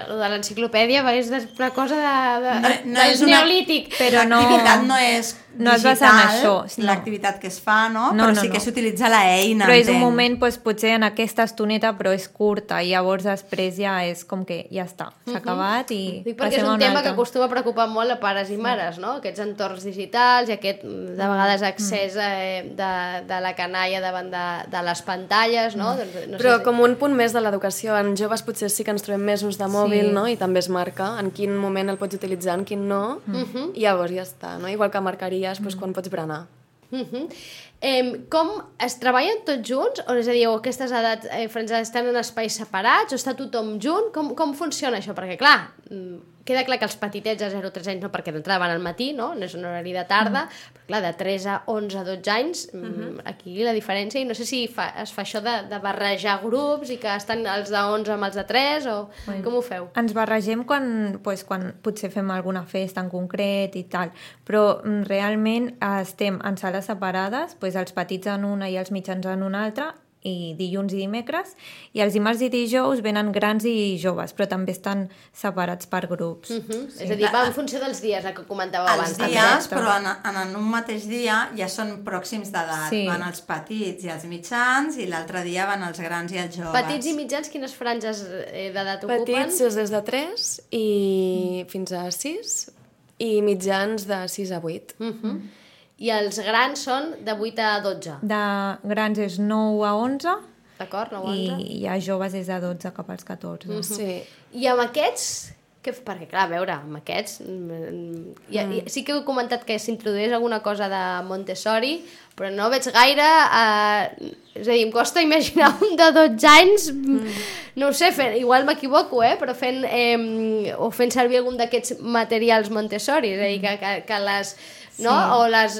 lo de l'enciclopèdia és una cosa del neolític. Però l'activitat no és no es basa en això. L'activitat que es fa, no? Però sí que s'utilitza l'eina. Però és un moment, potser en aquesta estoneta, però és curta, i llavors després ja és com que ja està, s'ha acabat i dic perquè és un tema que acostuma a preocupar molt a pares i mares, no? Aquests entorns digitals i aquest, de vegades, accés de la canalla davant de les pantalles, no? Però com un punt més de l'educació, en joves potser sí que ens trobem més ús de mòbil, no? I també es marca en quin moment el pots utilitzar, en quin no, i llavors ja està, no? Igual que marcaries quan pots berenar. Com es treballen tots junts? O, és a dir, aquestes edats estan en espais separats o està tothom junt? Com funciona això? Perquè, clar, queda clar que els petitets de 0 a 3 anys no, perquè d'entrada van al matí, no? No és un horari de tarda, però clar, de 3 a 11 a 12 anys, aquí la diferència, i no sé si es fa això de barrejar grups i que estan els de 11 amb els de 3, o com ho feu? Ens barregem quan potser fem alguna festa en concret i tal, però realment estem en sales separades, els petits en una i els mitjans en una altra, i dilluns i dimecres, i els dimarts i dijous venen grans i joves, però també estan separats per grups. És a dir, va en funció dels dies, el que comentàveu abans. Els dies, però en un mateix dia ja són pròxims d'edat. Van els petits i els mitjans, i l'altre dia van els grans i els joves. Petits i mitjans, quines franges d'edat ocupen? Petits és des de 3 i fins a 6, i mitjans de 6 a 8. I els grans són de 8 a 12? De grans és 9 a 11. D'acord, 9 a 11. I ja joves és de 12 cap als 14. Sí. I amb aquests... Perquè, clar, a veure, amb aquests... Sí que heu comentat que s'introdueix alguna cosa de Montessori, però no veig gaire... És a dir, em costa imaginar un de 12 anys, no ho sé, igual m'equivoco, però fent servir algun d'aquests materials Montessori, és a dir, que les... No? O les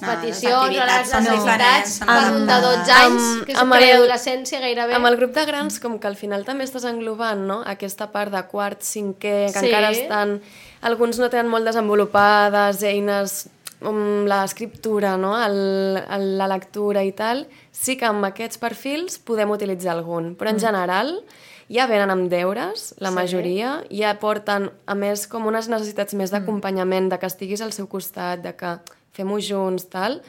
peticions o les necessitats per un de 12 anys, que és preadolescència gairebé. Amb el grup de grans, com que al final també estàs englobant, no? Aquesta part de quart, cinquè, que encara estan... Alguns no tenen molt desenvolupades eines, l'escriptura, no? La lectura i tal. Sí que amb aquests perfils podem utilitzar algun, però en general... Ja venen amb deures, la majoria, ja porten, a més, com unes necessitats més d'acompanyament, de que estiguis al seu costat, de que fem-ho junts, tal.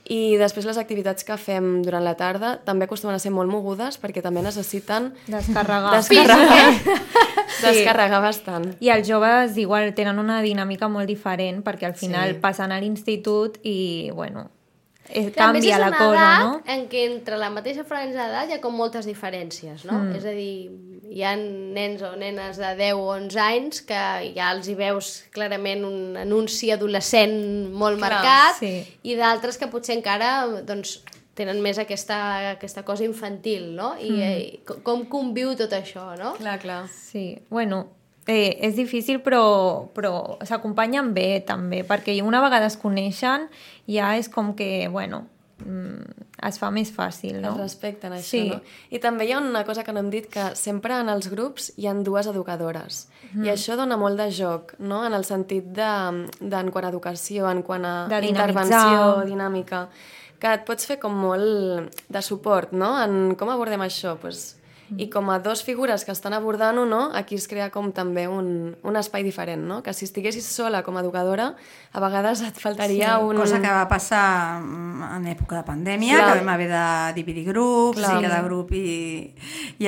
I després les activitats que fem durant la tarda també acostumen a ser molt mogudes perquè també necessiten... Descarregar. Descarregar bastant. I els joves igual tenen una dinàmica molt diferent perquè al final passen a l'institut i, bueno... canvia la cosa, no? En què entre la mateixa franja d'edat hi ha com moltes diferències, no? És a dir, hi ha nens o nenes de 10 o 11 anys que ja els hi veus clarament un anunci adolescent molt marcat, sí. i d'altres que potser encara doncs, tenen més aquesta cosa infantil, no? I com conviu tot això, no? Clar. Sí, bueno, és difícil però s'acompanyen bé també, perquè una vegada es coneixen ja és com que, bueno, es fa més fàcil, no? Es respecten això, sí. no? I també hi ha una cosa que no hem dit, que sempre en els grups hi ha 2 educadores. I això dona molt de joc, no? En el sentit en quant a educació, en quant a intervenció, dinàmica, que et pots fer com molt de suport, no? En com abordem això, doncs... I com a 2 figures que estan abordant-ho, no? Aquí es crea com també un espai diferent, no? Que si estiguessis sola com a educadora, a vegades et faltaria un... Cosa que va passar en època de pandèmia, que vam haver de dividir grups, i cada grup i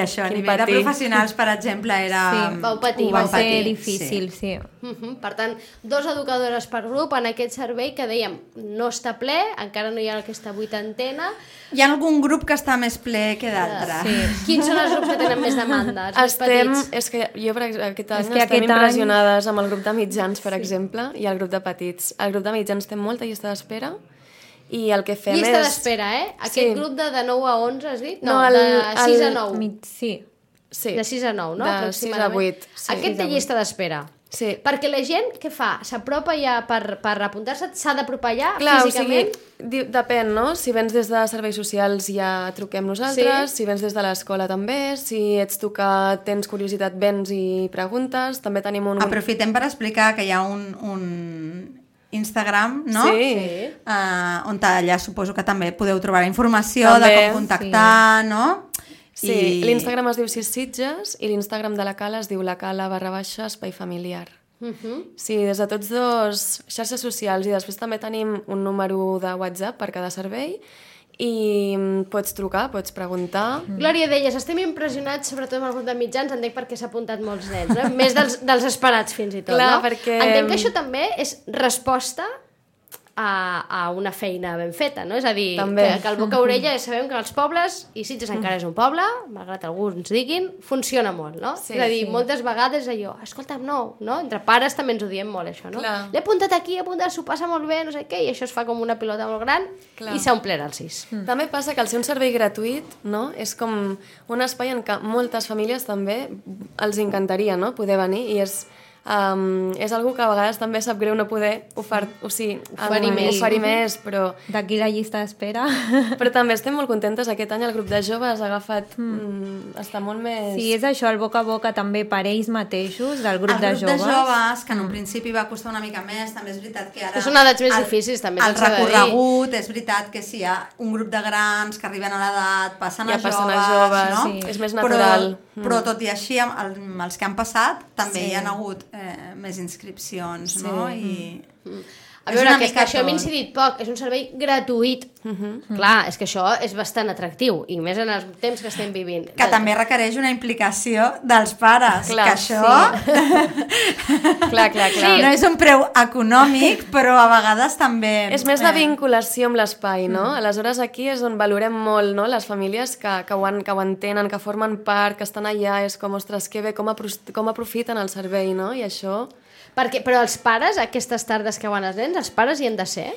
això. A nivell de professionals, per exemple, era... Sí, va ser difícil, sí. Per tant, 2 educadores per grup en aquest servei que dèiem no està ple, encara no hi ha aquesta 8ena. Hi ha algun grup que està més ple que d'altres. Sí. Quins són els grups que tenen més demanda? Els petits? És que jo aquest any estem impressionades amb el grup de mitjans, per exemple, i el grup de petits. El grup de mitjans té molta llista d'espera i el que fem llista d'espera, Aquest grup de 9 a 11, has dit? No, de 6 a 9. Sí. De 6 a 9, no? De 6 a 8. Sí. Aquest té llista d'espera. Sí. Perquè la gent, què fa? S'apropa ja per apuntar-se? S'ha d'apropar ja físicament? O sigui, depèn, no? Si vens des de serveis socials ja truquem nosaltres, si vens des de l'escola també, si ets tu que tens curiositat vens i preguntes, també tenim un... Aprofitem per explicar que hi ha un Instagram, no? Sí. On allà suposo que també podeu trobar informació de com contactar, no? Sí, l'Instagram es diu Sitges i l'Instagram de la Cala es diu lacala_espai familiar. Sí, des de tots 2 xarxes socials, i després també tenim un número de WhatsApp per cada servei i pots trucar, pots preguntar. Glòria, deies, estem impressionats sobretot amb el grup de mitjans, entenc perquè s'ha apuntat molts nens, més dels esperats fins i tot, Clar, no? perquè... Entenc que això també és resposta a una feina ben feta, no? És a dir, que el boca a orella ja sabem que els pobles, i Sitges encara és un poble, malgrat alguns diguin, funciona molt, no? Sí, és a dir, moltes vegades allò, escolta'm, no? Entre pares també ens ho diem molt, això, no? Clar. L'he apuntat aquí, s'ho passa molt bé, no sé què, i això es fa com una pilota molt gran, i s'ha omplert el 6. També passa que al ser un servei gratuït, no? És com un espai en què moltes famílies també els encantaria, no? Poder venir, i és algo que a vegades també sap greu no poder oferir més, però... D'aquí la llista d'espera. Però també estem molt contentes. Aquest any el grup de joves ha agafat... està molt més... Sí, és això, el boca a boca també per ells mateixos, del grup de joves. El grup de joves, que en un principi va costar una mica més, també és veritat que ara... Que són edats més difícils, també. El recorregut, és veritat que si hi ha un grup de grans que arriben a l'edat, passen a joves, no? Sí. És més natural. Però tot i així, amb els que han passat, també hi ha hagut més inscripcions, no? A veure, que això hem incidit poc, és un servei gratuït. Clar, és que això és bastant atractiu, i més en els temps que estem vivint. Que també requereix una implicació dels pares, que això... Clar. No és un preu econòmic, però a vegades també... És més de vinculació amb l'espai, no? Aleshores aquí és on valorem molt, no? Les famílies que ho entenen, que formen part, que estan allà, és com, ostres, que bé, com aprofiten el servei, no? I això... Però els pares, aquestes tardes que van els nens, els pares hi han de ser?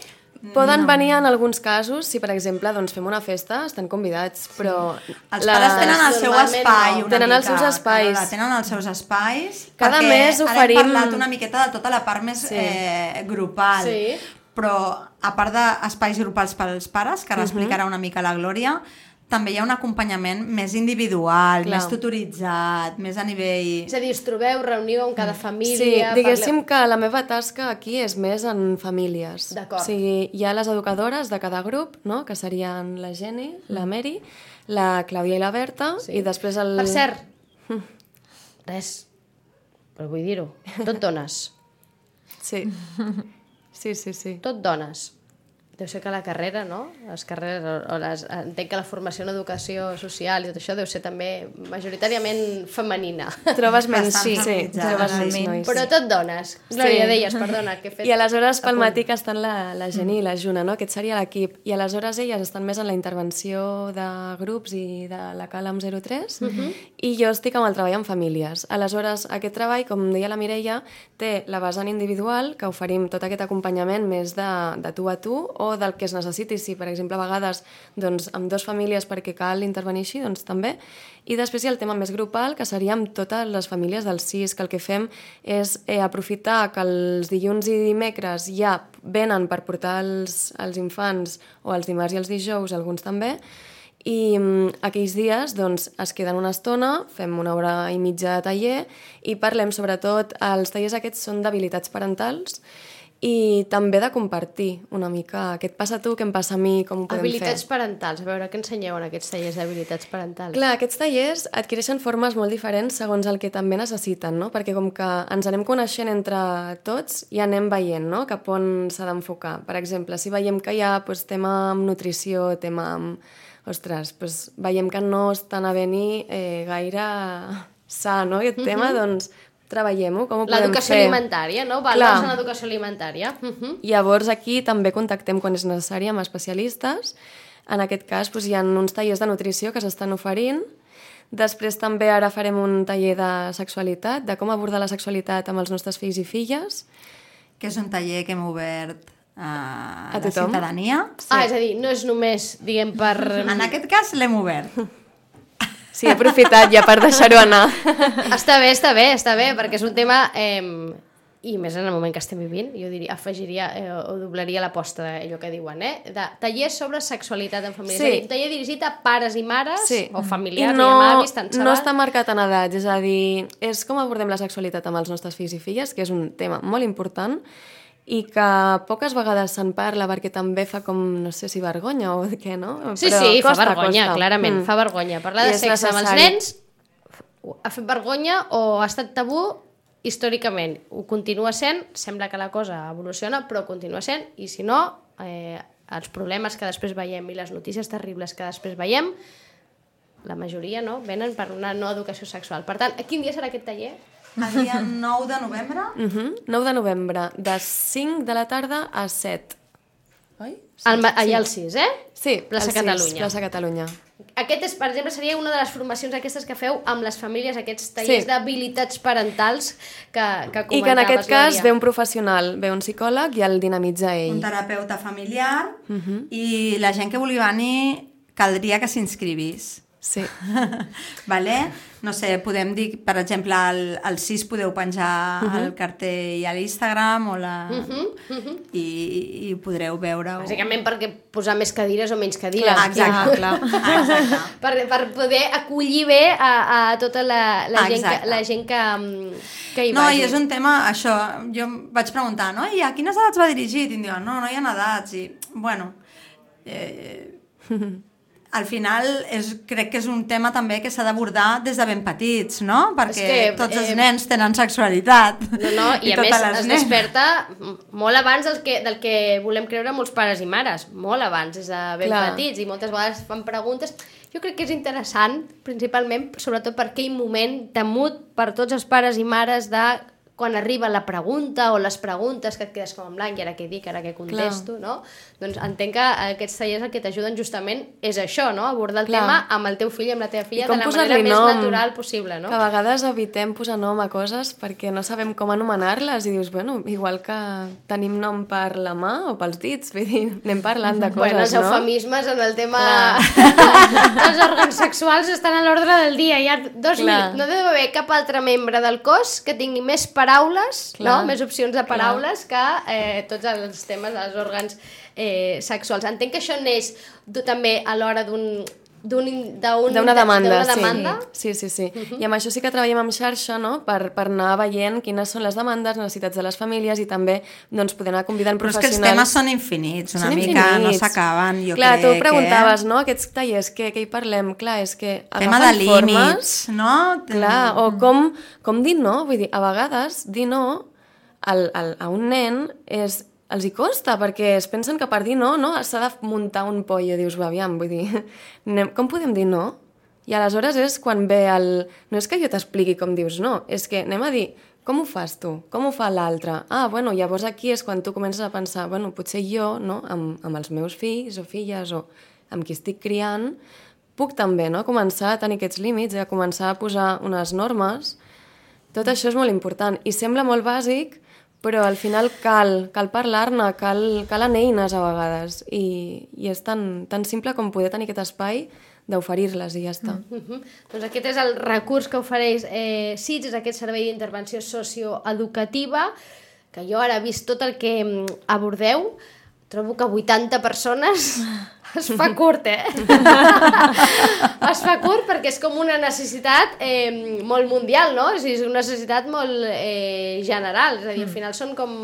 Poden venir en alguns casos, si per exemple doncs, fem una festa, estan convidats, però... Els pares tenen el seu espai una tenen mica. Els seus espais. Tenen els seus espais. Cada mes oferim... Ara hem parlat una miqueta de tota la part més grupal. Sí. Però a part d'espais grupals pels pares, que ara explicarà una mica la Glòria, també hi ha un acompanyament més individual, més tutoritzat, més a nivell... És a dir, us trobeu, reuniu amb cada família... Sí, diguéssim que la meva tasca aquí és més en famílies. D'acord. O sigui, hi ha les educadores de cada grup, no? Que serien la Jenny, la Mary, la Clàudia i la Berta, i després el... Per cert, res, però vull dir-ho, tot dones. Sí. Tot dones. Deu ser que la carrera, no? Les carreres, entenc que la formació en educació social i tot això deu ser també majoritàriament femenina. Trobes menys, Bastant feminitzada, trobes menys sí. nois. Però tot dones. Glòria, deies, perdona, que he fet... I aleshores pel matí que estan la Jenny i la Juna, no? Aquest seria l'equip. I aleshores elles estan més en la intervenció de grups i de la Calam 03 i jo estic amb el treball en famílies. Aleshores, aquest treball, com deia la Mireia, té la vessant individual, que oferim tot aquest acompanyament més de tu a tu o del que es necessiti. Si, per exemple, a vegades doncs, amb dues famílies perquè cal intervenir així, doncs també. I després hi ha el tema més grupal, que seria amb totes les famílies del CIS, que el que fem és aprofitar que els dilluns i dimecres ja venen per portar els infants, o els dimarts i els dijous, alguns també, i aquells dies doncs, es queden una estona, fem una hora i mitja de taller i parlem sobretot, els tallers aquests són d'habilitats parentals i també de compartir una mica què et passa a tu, què em passa a mi, com ho podem Habilitats fer. parentals. A veure, què ensenyeu en aquests tallers d'habilitats parentals? Clar, aquests tallers adquireixen formes molt diferents segons el que també necessiten, no? Perquè com que ens anem coneixent entre tots i anem veient, no? Cap on s'ha d'enfocar. Per exemple, si veiem que hi ha doncs, tema amb nutrició, tema amb... Ostres, doncs, veiem que no està anant-hi gaire sa, no? Aquest tema, doncs treballem-ho, com ho podem fer? L'educació alimentària, no? Valors en l'educació alimentària. Llavors aquí també contactem quan és necessari amb especialistes. En aquest cas doncs, hi ha uns tallers de nutrició que s'estan oferint. Després també ara farem un taller de sexualitat, de com abordar la sexualitat amb els nostres fills i filles. Que és un taller que hem obert a la tothom? ciutadania. Sí. És a dir, no és només, diguem, per... En aquest cas l'hem obert. Sí, he aprofitat ja per deixar-ho anar. Està bé, perquè és un tema... I més en el moment que estem vivint, jo diria, afegiria o doblaria l'aposta d'allò que diuen, de tallers sobre sexualitat en família. Sí. És a dir, un taller dirigit a pares i mares, o familiars, I no, i avis, tant se no val. està marcat en edats, és a dir, és com abordem la sexualitat amb els nostres fills i filles, que és un tema molt important i que poques vegades se'n parla perquè també fa com, no sé si vergonya o què, no? Sí, Però sí, costa, fa vergonya, costa. clarament, fa vergonya. Parlar I de és sexe amb els necessari. nens ha fet vergonya o ha estat tabú històricament. Ho continua sent, sembla que la cosa evoluciona, però continua sent, i si no, els problemes que després veiem i les notícies terribles que després veiem, la majoria no, venen per una no educació sexual. Per tant, quin dia serà aquest taller? El dia 9 de novembre. 9 de novembre, de 5 de la tarda a 7. Oi? Allà al 6, eh? Sí, Plaça al 6, Catalunya. Plaça Catalunya. Aquest, és, per exemple, seria una de les formacions aquestes que feu amb les famílies, aquests tallers d'habilitats parentals que comentaves, I que en aquest cas Glòria. ve un professional, ve un psicòleg i el dinamitza ell. Un terapeuta familiar i la gent que vulgui venir caldria que s'inscrivís. Sí. Vale? No sé, podem dir, per exemple, al 6 podeu penjar el cartell a l'Instagram o i podreu veure-ho. Bàsicament perquè posar més cadires o menys cadires. Exacte. Exacte. Per poder acollir bé a tota la gent que hi No, vagi. i és un tema, això, jo vaig preguntar, no? I a quines edats va dirigit? I em diuen, no hi ha edats. I, bueno, al final crec que és un tema també que s'ha d'abordar des de ben petits, no? Perquè tots els nens tenen sexualitat. No, i a més es desperta molt abans del que volem creure molts pares i mares, molt abans, des de ben petits, i moltes vegades fan preguntes. Jo crec que és interessant, principalment, sobretot per aquell moment temut per tots els pares i mares de quan arriba la pregunta o les preguntes que et quedes com en blanc, i ara què dic, ara què contesto, no? Doncs entenc que aquests tallers el que t'ajuden justament és això, no? Abordar el tema amb el teu fill i amb la teva filla de la manera més natural possible, no? Que a vegades evitem posar nom a coses perquè no sabem com anomenar-les i dius, bueno, igual que tenim nom per la mà o pels dits, vull dir, anem parlant de coses, els no? eufemismes en el tema dels òrgans sexuals estan a l'ordre del dia. Hi ha no deu haver cap altre membre del cos que tingui més paraules, no? Més opcions de paraules que tots els temes dels òrgans sexuals. Entenc que això neix també a l'hora d'una demanda. Sí. I amb això sí que treballem amb xarxa, no? Per anar veient quines són les demandes, necessitats de les famílies i també doncs, poder anar convidant professionals. Però és que els temes són infinits, una mica, no s'acaben, jo crec. Clar, tu preguntaves, no? Aquests tallers, què hi parlem? Clar, és que tema de límits, no? Clar, o com dir no? Vull dir, a vegades dir no a un nen és els hi costa, perquè es pensen que per dir no s'ha de muntar un pollo, dius, aviam, vull dir, com podem dir no? I aleshores és quan ve el... No és que jo t'expliqui com dius no, és que anem a dir, com ho fas tu? Com ho fa l'altre? Bueno, llavors aquí és quan tu comences a pensar, bueno, potser jo, no?, amb els meus fills o filles o amb qui estic criant, puc també, no?, començar a tenir aquests límits, a començar a posar unes normes. Tot això és molt important i sembla molt bàsic, però al final cal parlar-ne, calen eines a vegades i és tan simple com poder tenir aquest espai d'oferir-les i ja està. Doncs aquest és el recurs que ofereix SITS, és aquest servei d'intervenció socioeducativa, que jo ara he vist tot el que abordeu, trobo que 80 persones es fa curt, es fa curt perquè és com una necessitat molt mundial, no? És una necessitat molt general, és a dir, al final són com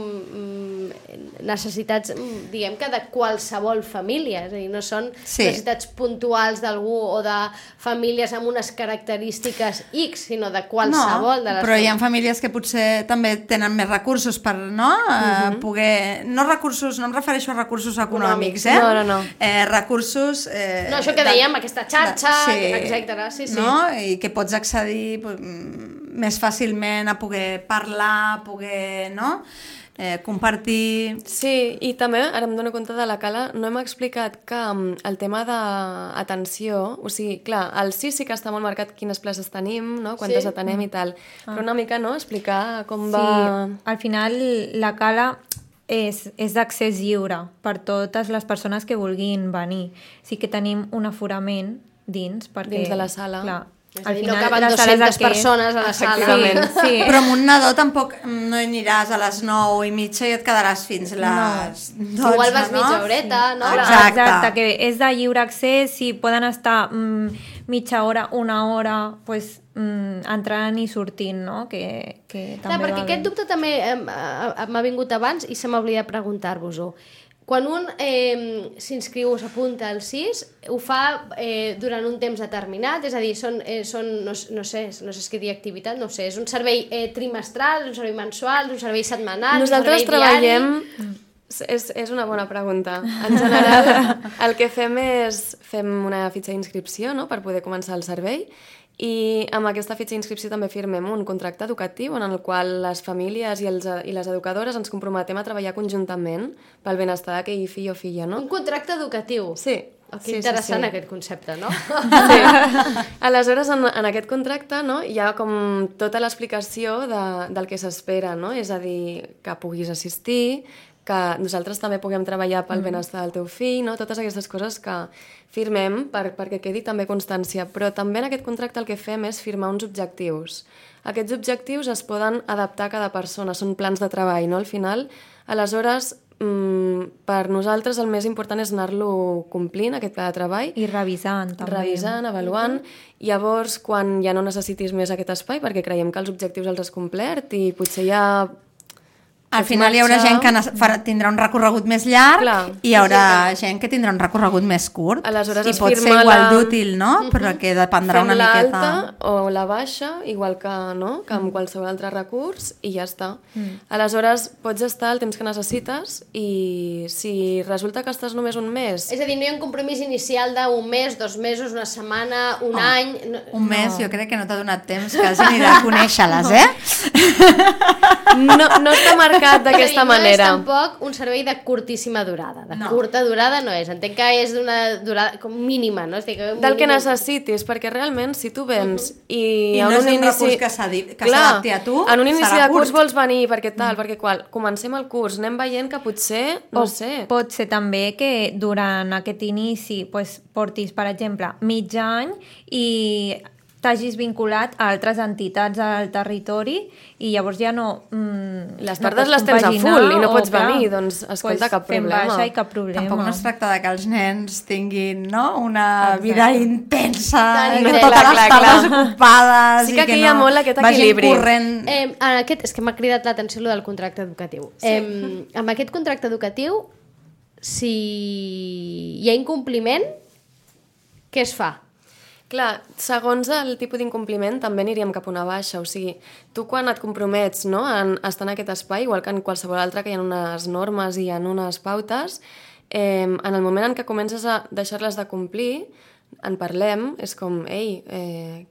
necessitats, diguem que de qualsevol família, és a dir, no són necessitats puntuals d'algú o de famílies amb unes característiques X, sinó de qualsevol de les... Però hi ha famílies que potser també tenen més recursos per, poder... No recursos, no em refereixo a recursos econòmics, No. Recursos... No, això que dèiem, aquesta xarxa, etcètera, sí. No? I que pots accedir més fàcilment a poder parlar, a poder, compartir... Sí, i també, ara em dono compte de la Cala, no hem explicat que el tema d'atenció, o sigui, clar, al CIS sí que està molt marcat quines places tenim, no? Quantes atenem i tal, però una mica, no?, explicar com va... Sí, al final la Cala és d'accés lliure per totes les persones que vulguin venir. Sí que tenim un aforament dins, perquè... Dins de la sala. Clar, al final, no caben 200 persones a la sala. Sí. Però amb un nadó tampoc no hi aniràs a les 9:30 i et quedaràs fins les 12, Igual vas mitja horeta, no? Exacte, que és de lliure accés, si poden estar mitja hora, una hora, pues, entrant i sortint, no? Que també perquè aquest dubte també m'ha vingut abans i se m'ha oblidat preguntar-vos-ho. Quan un s'inscriu o s'apunta al CIS, ho fa durant un temps determinat? És a dir, no sé què dir activitat, no sé, és un servei trimestral, un servei mensual, un servei setmanal, Nosaltres un servei treballem... diari? És una bona pregunta. En general, el que fem és fem una fitxa d'inscripció, no?, per poder començar el servei, i amb aquesta fitxa d'inscripció també firmem un contracte educatiu en el qual les famílies i les educadores ens comprometem a treballar conjuntament pel benestar d'aquell fill o filla, no? Un contracte educatiu? Sí. Que interessant aquest concepte, no? Sí. Aleshores, en aquest contracte, no, hi ha com tota l'explicació del que s'espera, no? És a dir, que puguis assistir, que nosaltres també puguem treballar pel benestar del teu fill, no? Totes aquestes coses que firmem perquè quedi també constància. Però també en aquest contracte el que fem és firmar uns objectius. Aquests objectius es poden adaptar a cada persona, són plans de treball, no? Al final, aleshores, per nosaltres el més important és anar-lo complint, aquest pla de treball. I revisant, també. Revisant, avaluant. Llavors, quan ja no necessitis més aquest espai, perquè creiem que els objectius els has complert i potser ja... Al final hi haurà gent que tindrà un recorregut més llarg i hi haurà gent que tindrà un recorregut més curt. Aleshores i pot ser igual d'útil, no? Però que dependrà una miqueta... Fem l'alta o la baixa, igual que amb qualsevol altre recurs, i ja està. Aleshores, pots estar el temps que necessites i si resulta que estàs només un mes... És a dir, no hi ha un compromís inicial d'un mes, 2 mesos, una setmana, un any... Un mes, jo crec que no t'ha donat temps quasi ni de conèixer-les, No està marcat d'aquesta manera. No és tampoc un servei de curtíssima durada. De curta durada no és. Entenc que és d'una durada com mínima, no? Del que necessitis, perquè realment si tu vens i no és un recurs que s'adapti a tu, en un inici de curs curt. vols venir perquè tal, perquè qual, comencem el curs, anem veient que potser, no sé... Pot ser també que durant aquest inici portis, per exemple, mig any i t'hagis vinculat a altres entitats al territori i llavors ja no... Les tardes les tens a full i no pots venir, doncs escolta, cap problema. Fem baixa i cap problema. Tampoc no es tracta de que els nens tinguin una vida intensa, Totes les tardes ocupades... Sí que aquí hi ha molt aquest equilibri. És que m'ha cridat l'atenció lo del contracte educatiu. Amb aquest contracte educatiu, si hi ha incompliment, què es fa? Clar, segons el tipus d'incompliment també aniríem cap a una baixa, o sigui, tu quan et compromets, no, en estar en aquest espai, igual que en qualsevol altre que hi ha unes normes i hi ha unes pautes, en el moment en què comences a deixar-les de complir, en parlem, és com, ei,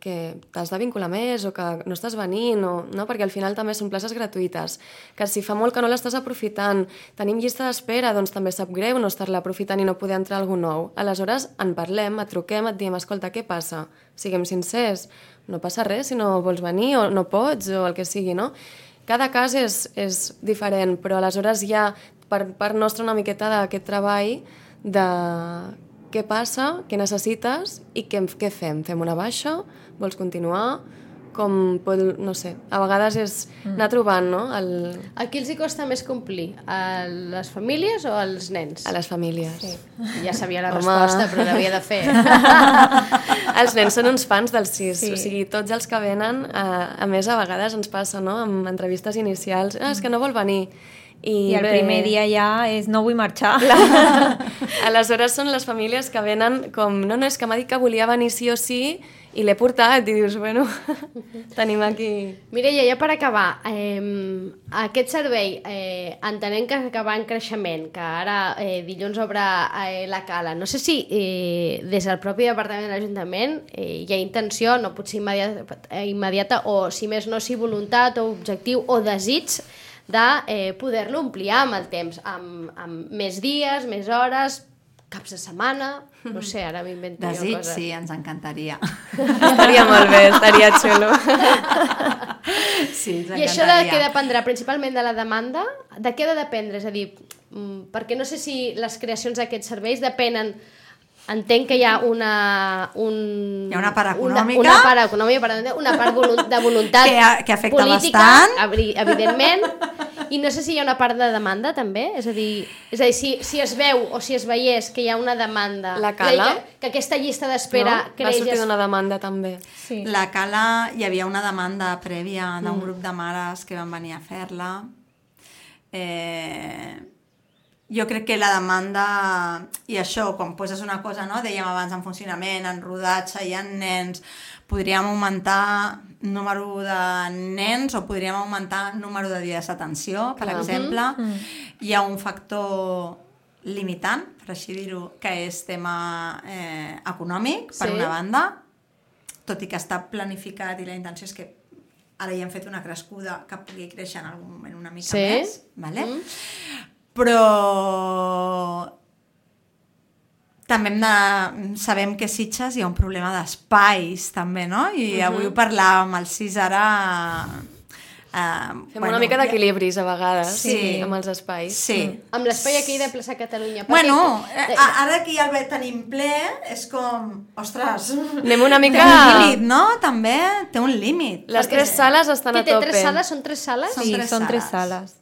que t'has de vincular més o que no estàs venint, no? Perquè al final també són places gratuïtes, que si fa molt que no l'estàs aprofitant, tenim llista d'espera, doncs també sap greu no estar-la aprofitant i no poder entrar algú nou. Aleshores, en parlem, et truquem, et diem, escolta, què passa? Siguem sincers, no passa res si no vols venir o no pots o el que sigui, no? Cada cas és diferent, però aleshores hi ha per part nostra una miqueta d'aquest treball de què passa, què necessites i què fem? Fem una baixa? Vols continuar? No sé, a vegades és anar trobant, no? A qui els hi costa més complir? A les famílies o als nens? A les famílies. Sí. Ja sabia la resposta, però l'havia de fer. Els nens són uns fans del CIS, sí. O sigui, tots els que venen, a més a vegades ens passa, no?, amb entrevistes inicials, és que no vol venir. I el primer dia ja és no vull marxar. Aleshores són les famílies que venen com, no, és que m'ha dit que volia venir sí o sí i l'he portat i dius, bueno, tenim aquí... Mireia, ja per acabar, aquest servei, entenent que va en creixement, que ara dilluns obre la Cala, no sé si des del propi departament de l'Ajuntament hi ha intenció, no potser immediata, o si més no, si voluntat o objectiu o desig de poder-lo ampliar amb el temps, amb més dies, més hores, caps de setmana, no sé, ara m'invento jo coses. Desig, sí, ens encantaria. Estaria molt bé, estaria xulo. Sí, ens encantaria. I això de què dependrà? Principalment de la demanda? De què ha de dependre? És a dir, perquè no sé si les creacions d'aquests serveis depenen. Entenc que hi ha una part econòmica, una part de voluntat que afecta política, bastant, evidentment, i no sé si hi ha una part de demanda també, és a dir si es veu o si es veiés que hi ha una demanda, la Cala, que aquesta llista d'espera va sortir d'una demanda també. Sí. La Cala, hi havia una demanda prèvia d'un grup de mares que van venir a fer-la. Jo crec que la demanda, i això, quan poses una cosa, no? Dèiem abans, en funcionament, en rodatge, hi ha nens, podríem augmentar número de nens o podríem augmentar número de dies d'atenció, per exemple. Hi ha un factor limitant, per així dir-ho, que és tema econòmic, per una banda, tot i que està planificat i la intenció és que ara hi hem fet una crescuda que pugui créixer en algun moment una mica més, vale? Però també sabem que a Sitges hi ha un problema d'espais també, no? I avui ho parlàvem amb el CIS ara... Fem una mica d'equilibris a vegades amb els espais. Sí. Amb l'espai aquí de Plaça Catalunya. Bueno, ara que ja el tenim ple, és com... Ostres, anem una mica... Té un límit, no? També té un límit. Les 3 sales estan a tope. Té 3 sales? Són 3 sales? Sí, són 3 sales.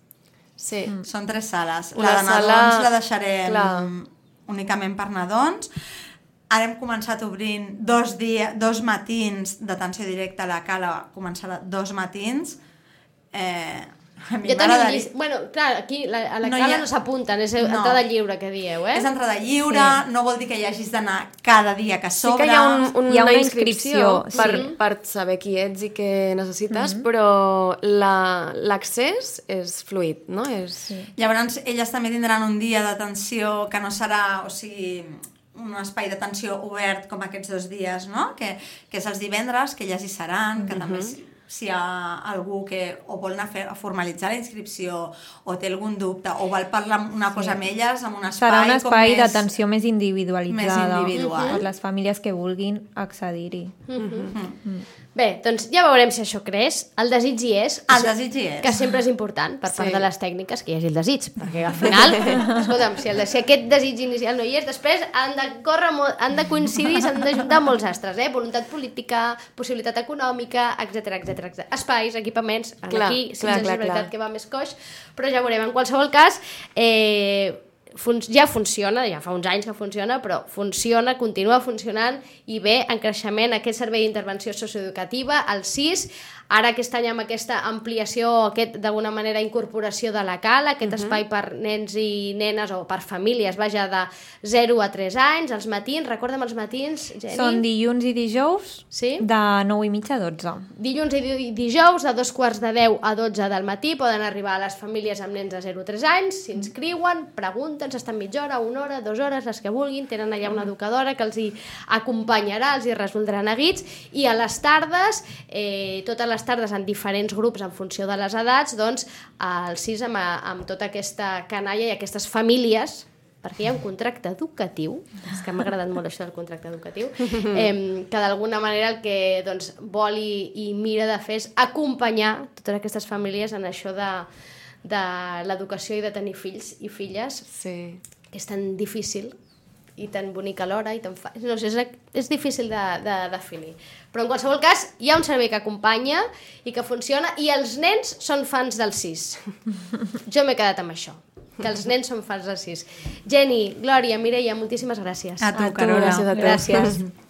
Sí. Són 3 sales. Una la de nadons sala... la deixarem únicament per nadons. Ara hem començat obrint 2 matins d'atenció directa a la Cala, començarà 2 matins. A mi m'agradaria... Bueno, clar, aquí a la Cala no s'apunten, és entrada lliure que dieu, És entrada lliure, no vol dir que hi hagis d'anar cada dia que s'obre. Sí que hi ha una inscripció per saber qui ets i què necessites, però l'accés és fluid, no? Llavors, elles també tindran un dia d'atenció que no serà, o sigui, un espai d'atenció obert com aquests 2 dies, no? Que és els divendres, que elles hi seran, que també... Si hi ha algú que o vol anar a formalitzar la inscripció o té algun dubte o vol parlar una cosa amb elles, amb un espai... Serà un espai d'atenció més individualitzada per les famílies que vulguin accedir-hi. Bé, doncs ja veurem si això creix. El desig hi és. El desig hi és. Que sempre és important per part de les tècniques que hi hagi el desig, perquè al final, escolta'm, si aquest desig inicial no hi és, després han de coincidir, s'han d'ajuntar molts astres, voluntat política, possibilitat econòmica, etc. Espais, equipaments, aquí, és veritat que va més coix, però ja veurem. En qualsevol cas, ja funciona, ja fa uns anys que funciona, però funciona, continua funcionant i ve en creixement aquest servei d'intervenció socioeducativa, el SIS, ara aquest any amb aquesta ampliació, d'alguna manera incorporació de la CAL, aquest espai per nens i nenes o per famílies, vaja, de 0 a 3 anys, els matins, recorda'm els matins, Geni? Són dilluns i dijous de 9:30 a 12. Dilluns i dijous de 9:45 a 12 del matí poden arribar a les famílies amb nens de 0 a 3 anys, s'inscriuen, pregunten, s'estan mitja hora, 1 hora, 2 hores, les que vulguin, tenen allà una educadora que els hi acompanyarà, els hi resoldrà neguits, i a les tardes, totes les tardes en diferents grups en funció de les edats, doncs el SIS amb tota aquesta canalla i aquestes famílies, perquè hi ha un contracte educatiu, és que m'ha agradat molt això del contracte educatiu, que d'alguna manera el que doncs, vol i mira de fer és acompanyar totes aquestes famílies en això de l'educació i de tenir fills i filles, que és tan difícil i tan bonic alhora, i tan no sé, és difícil de definir. Però en qualsevol cas, hi ha un servei que acompanya i que funciona, i els nens són fans del SIS. Jo m'he quedat amb això, que els nens són fans del SIS. Geni, Glòria, Mireia, moltíssimes gràcies. A tu, Carola. Gràcies a tu. Gràcies.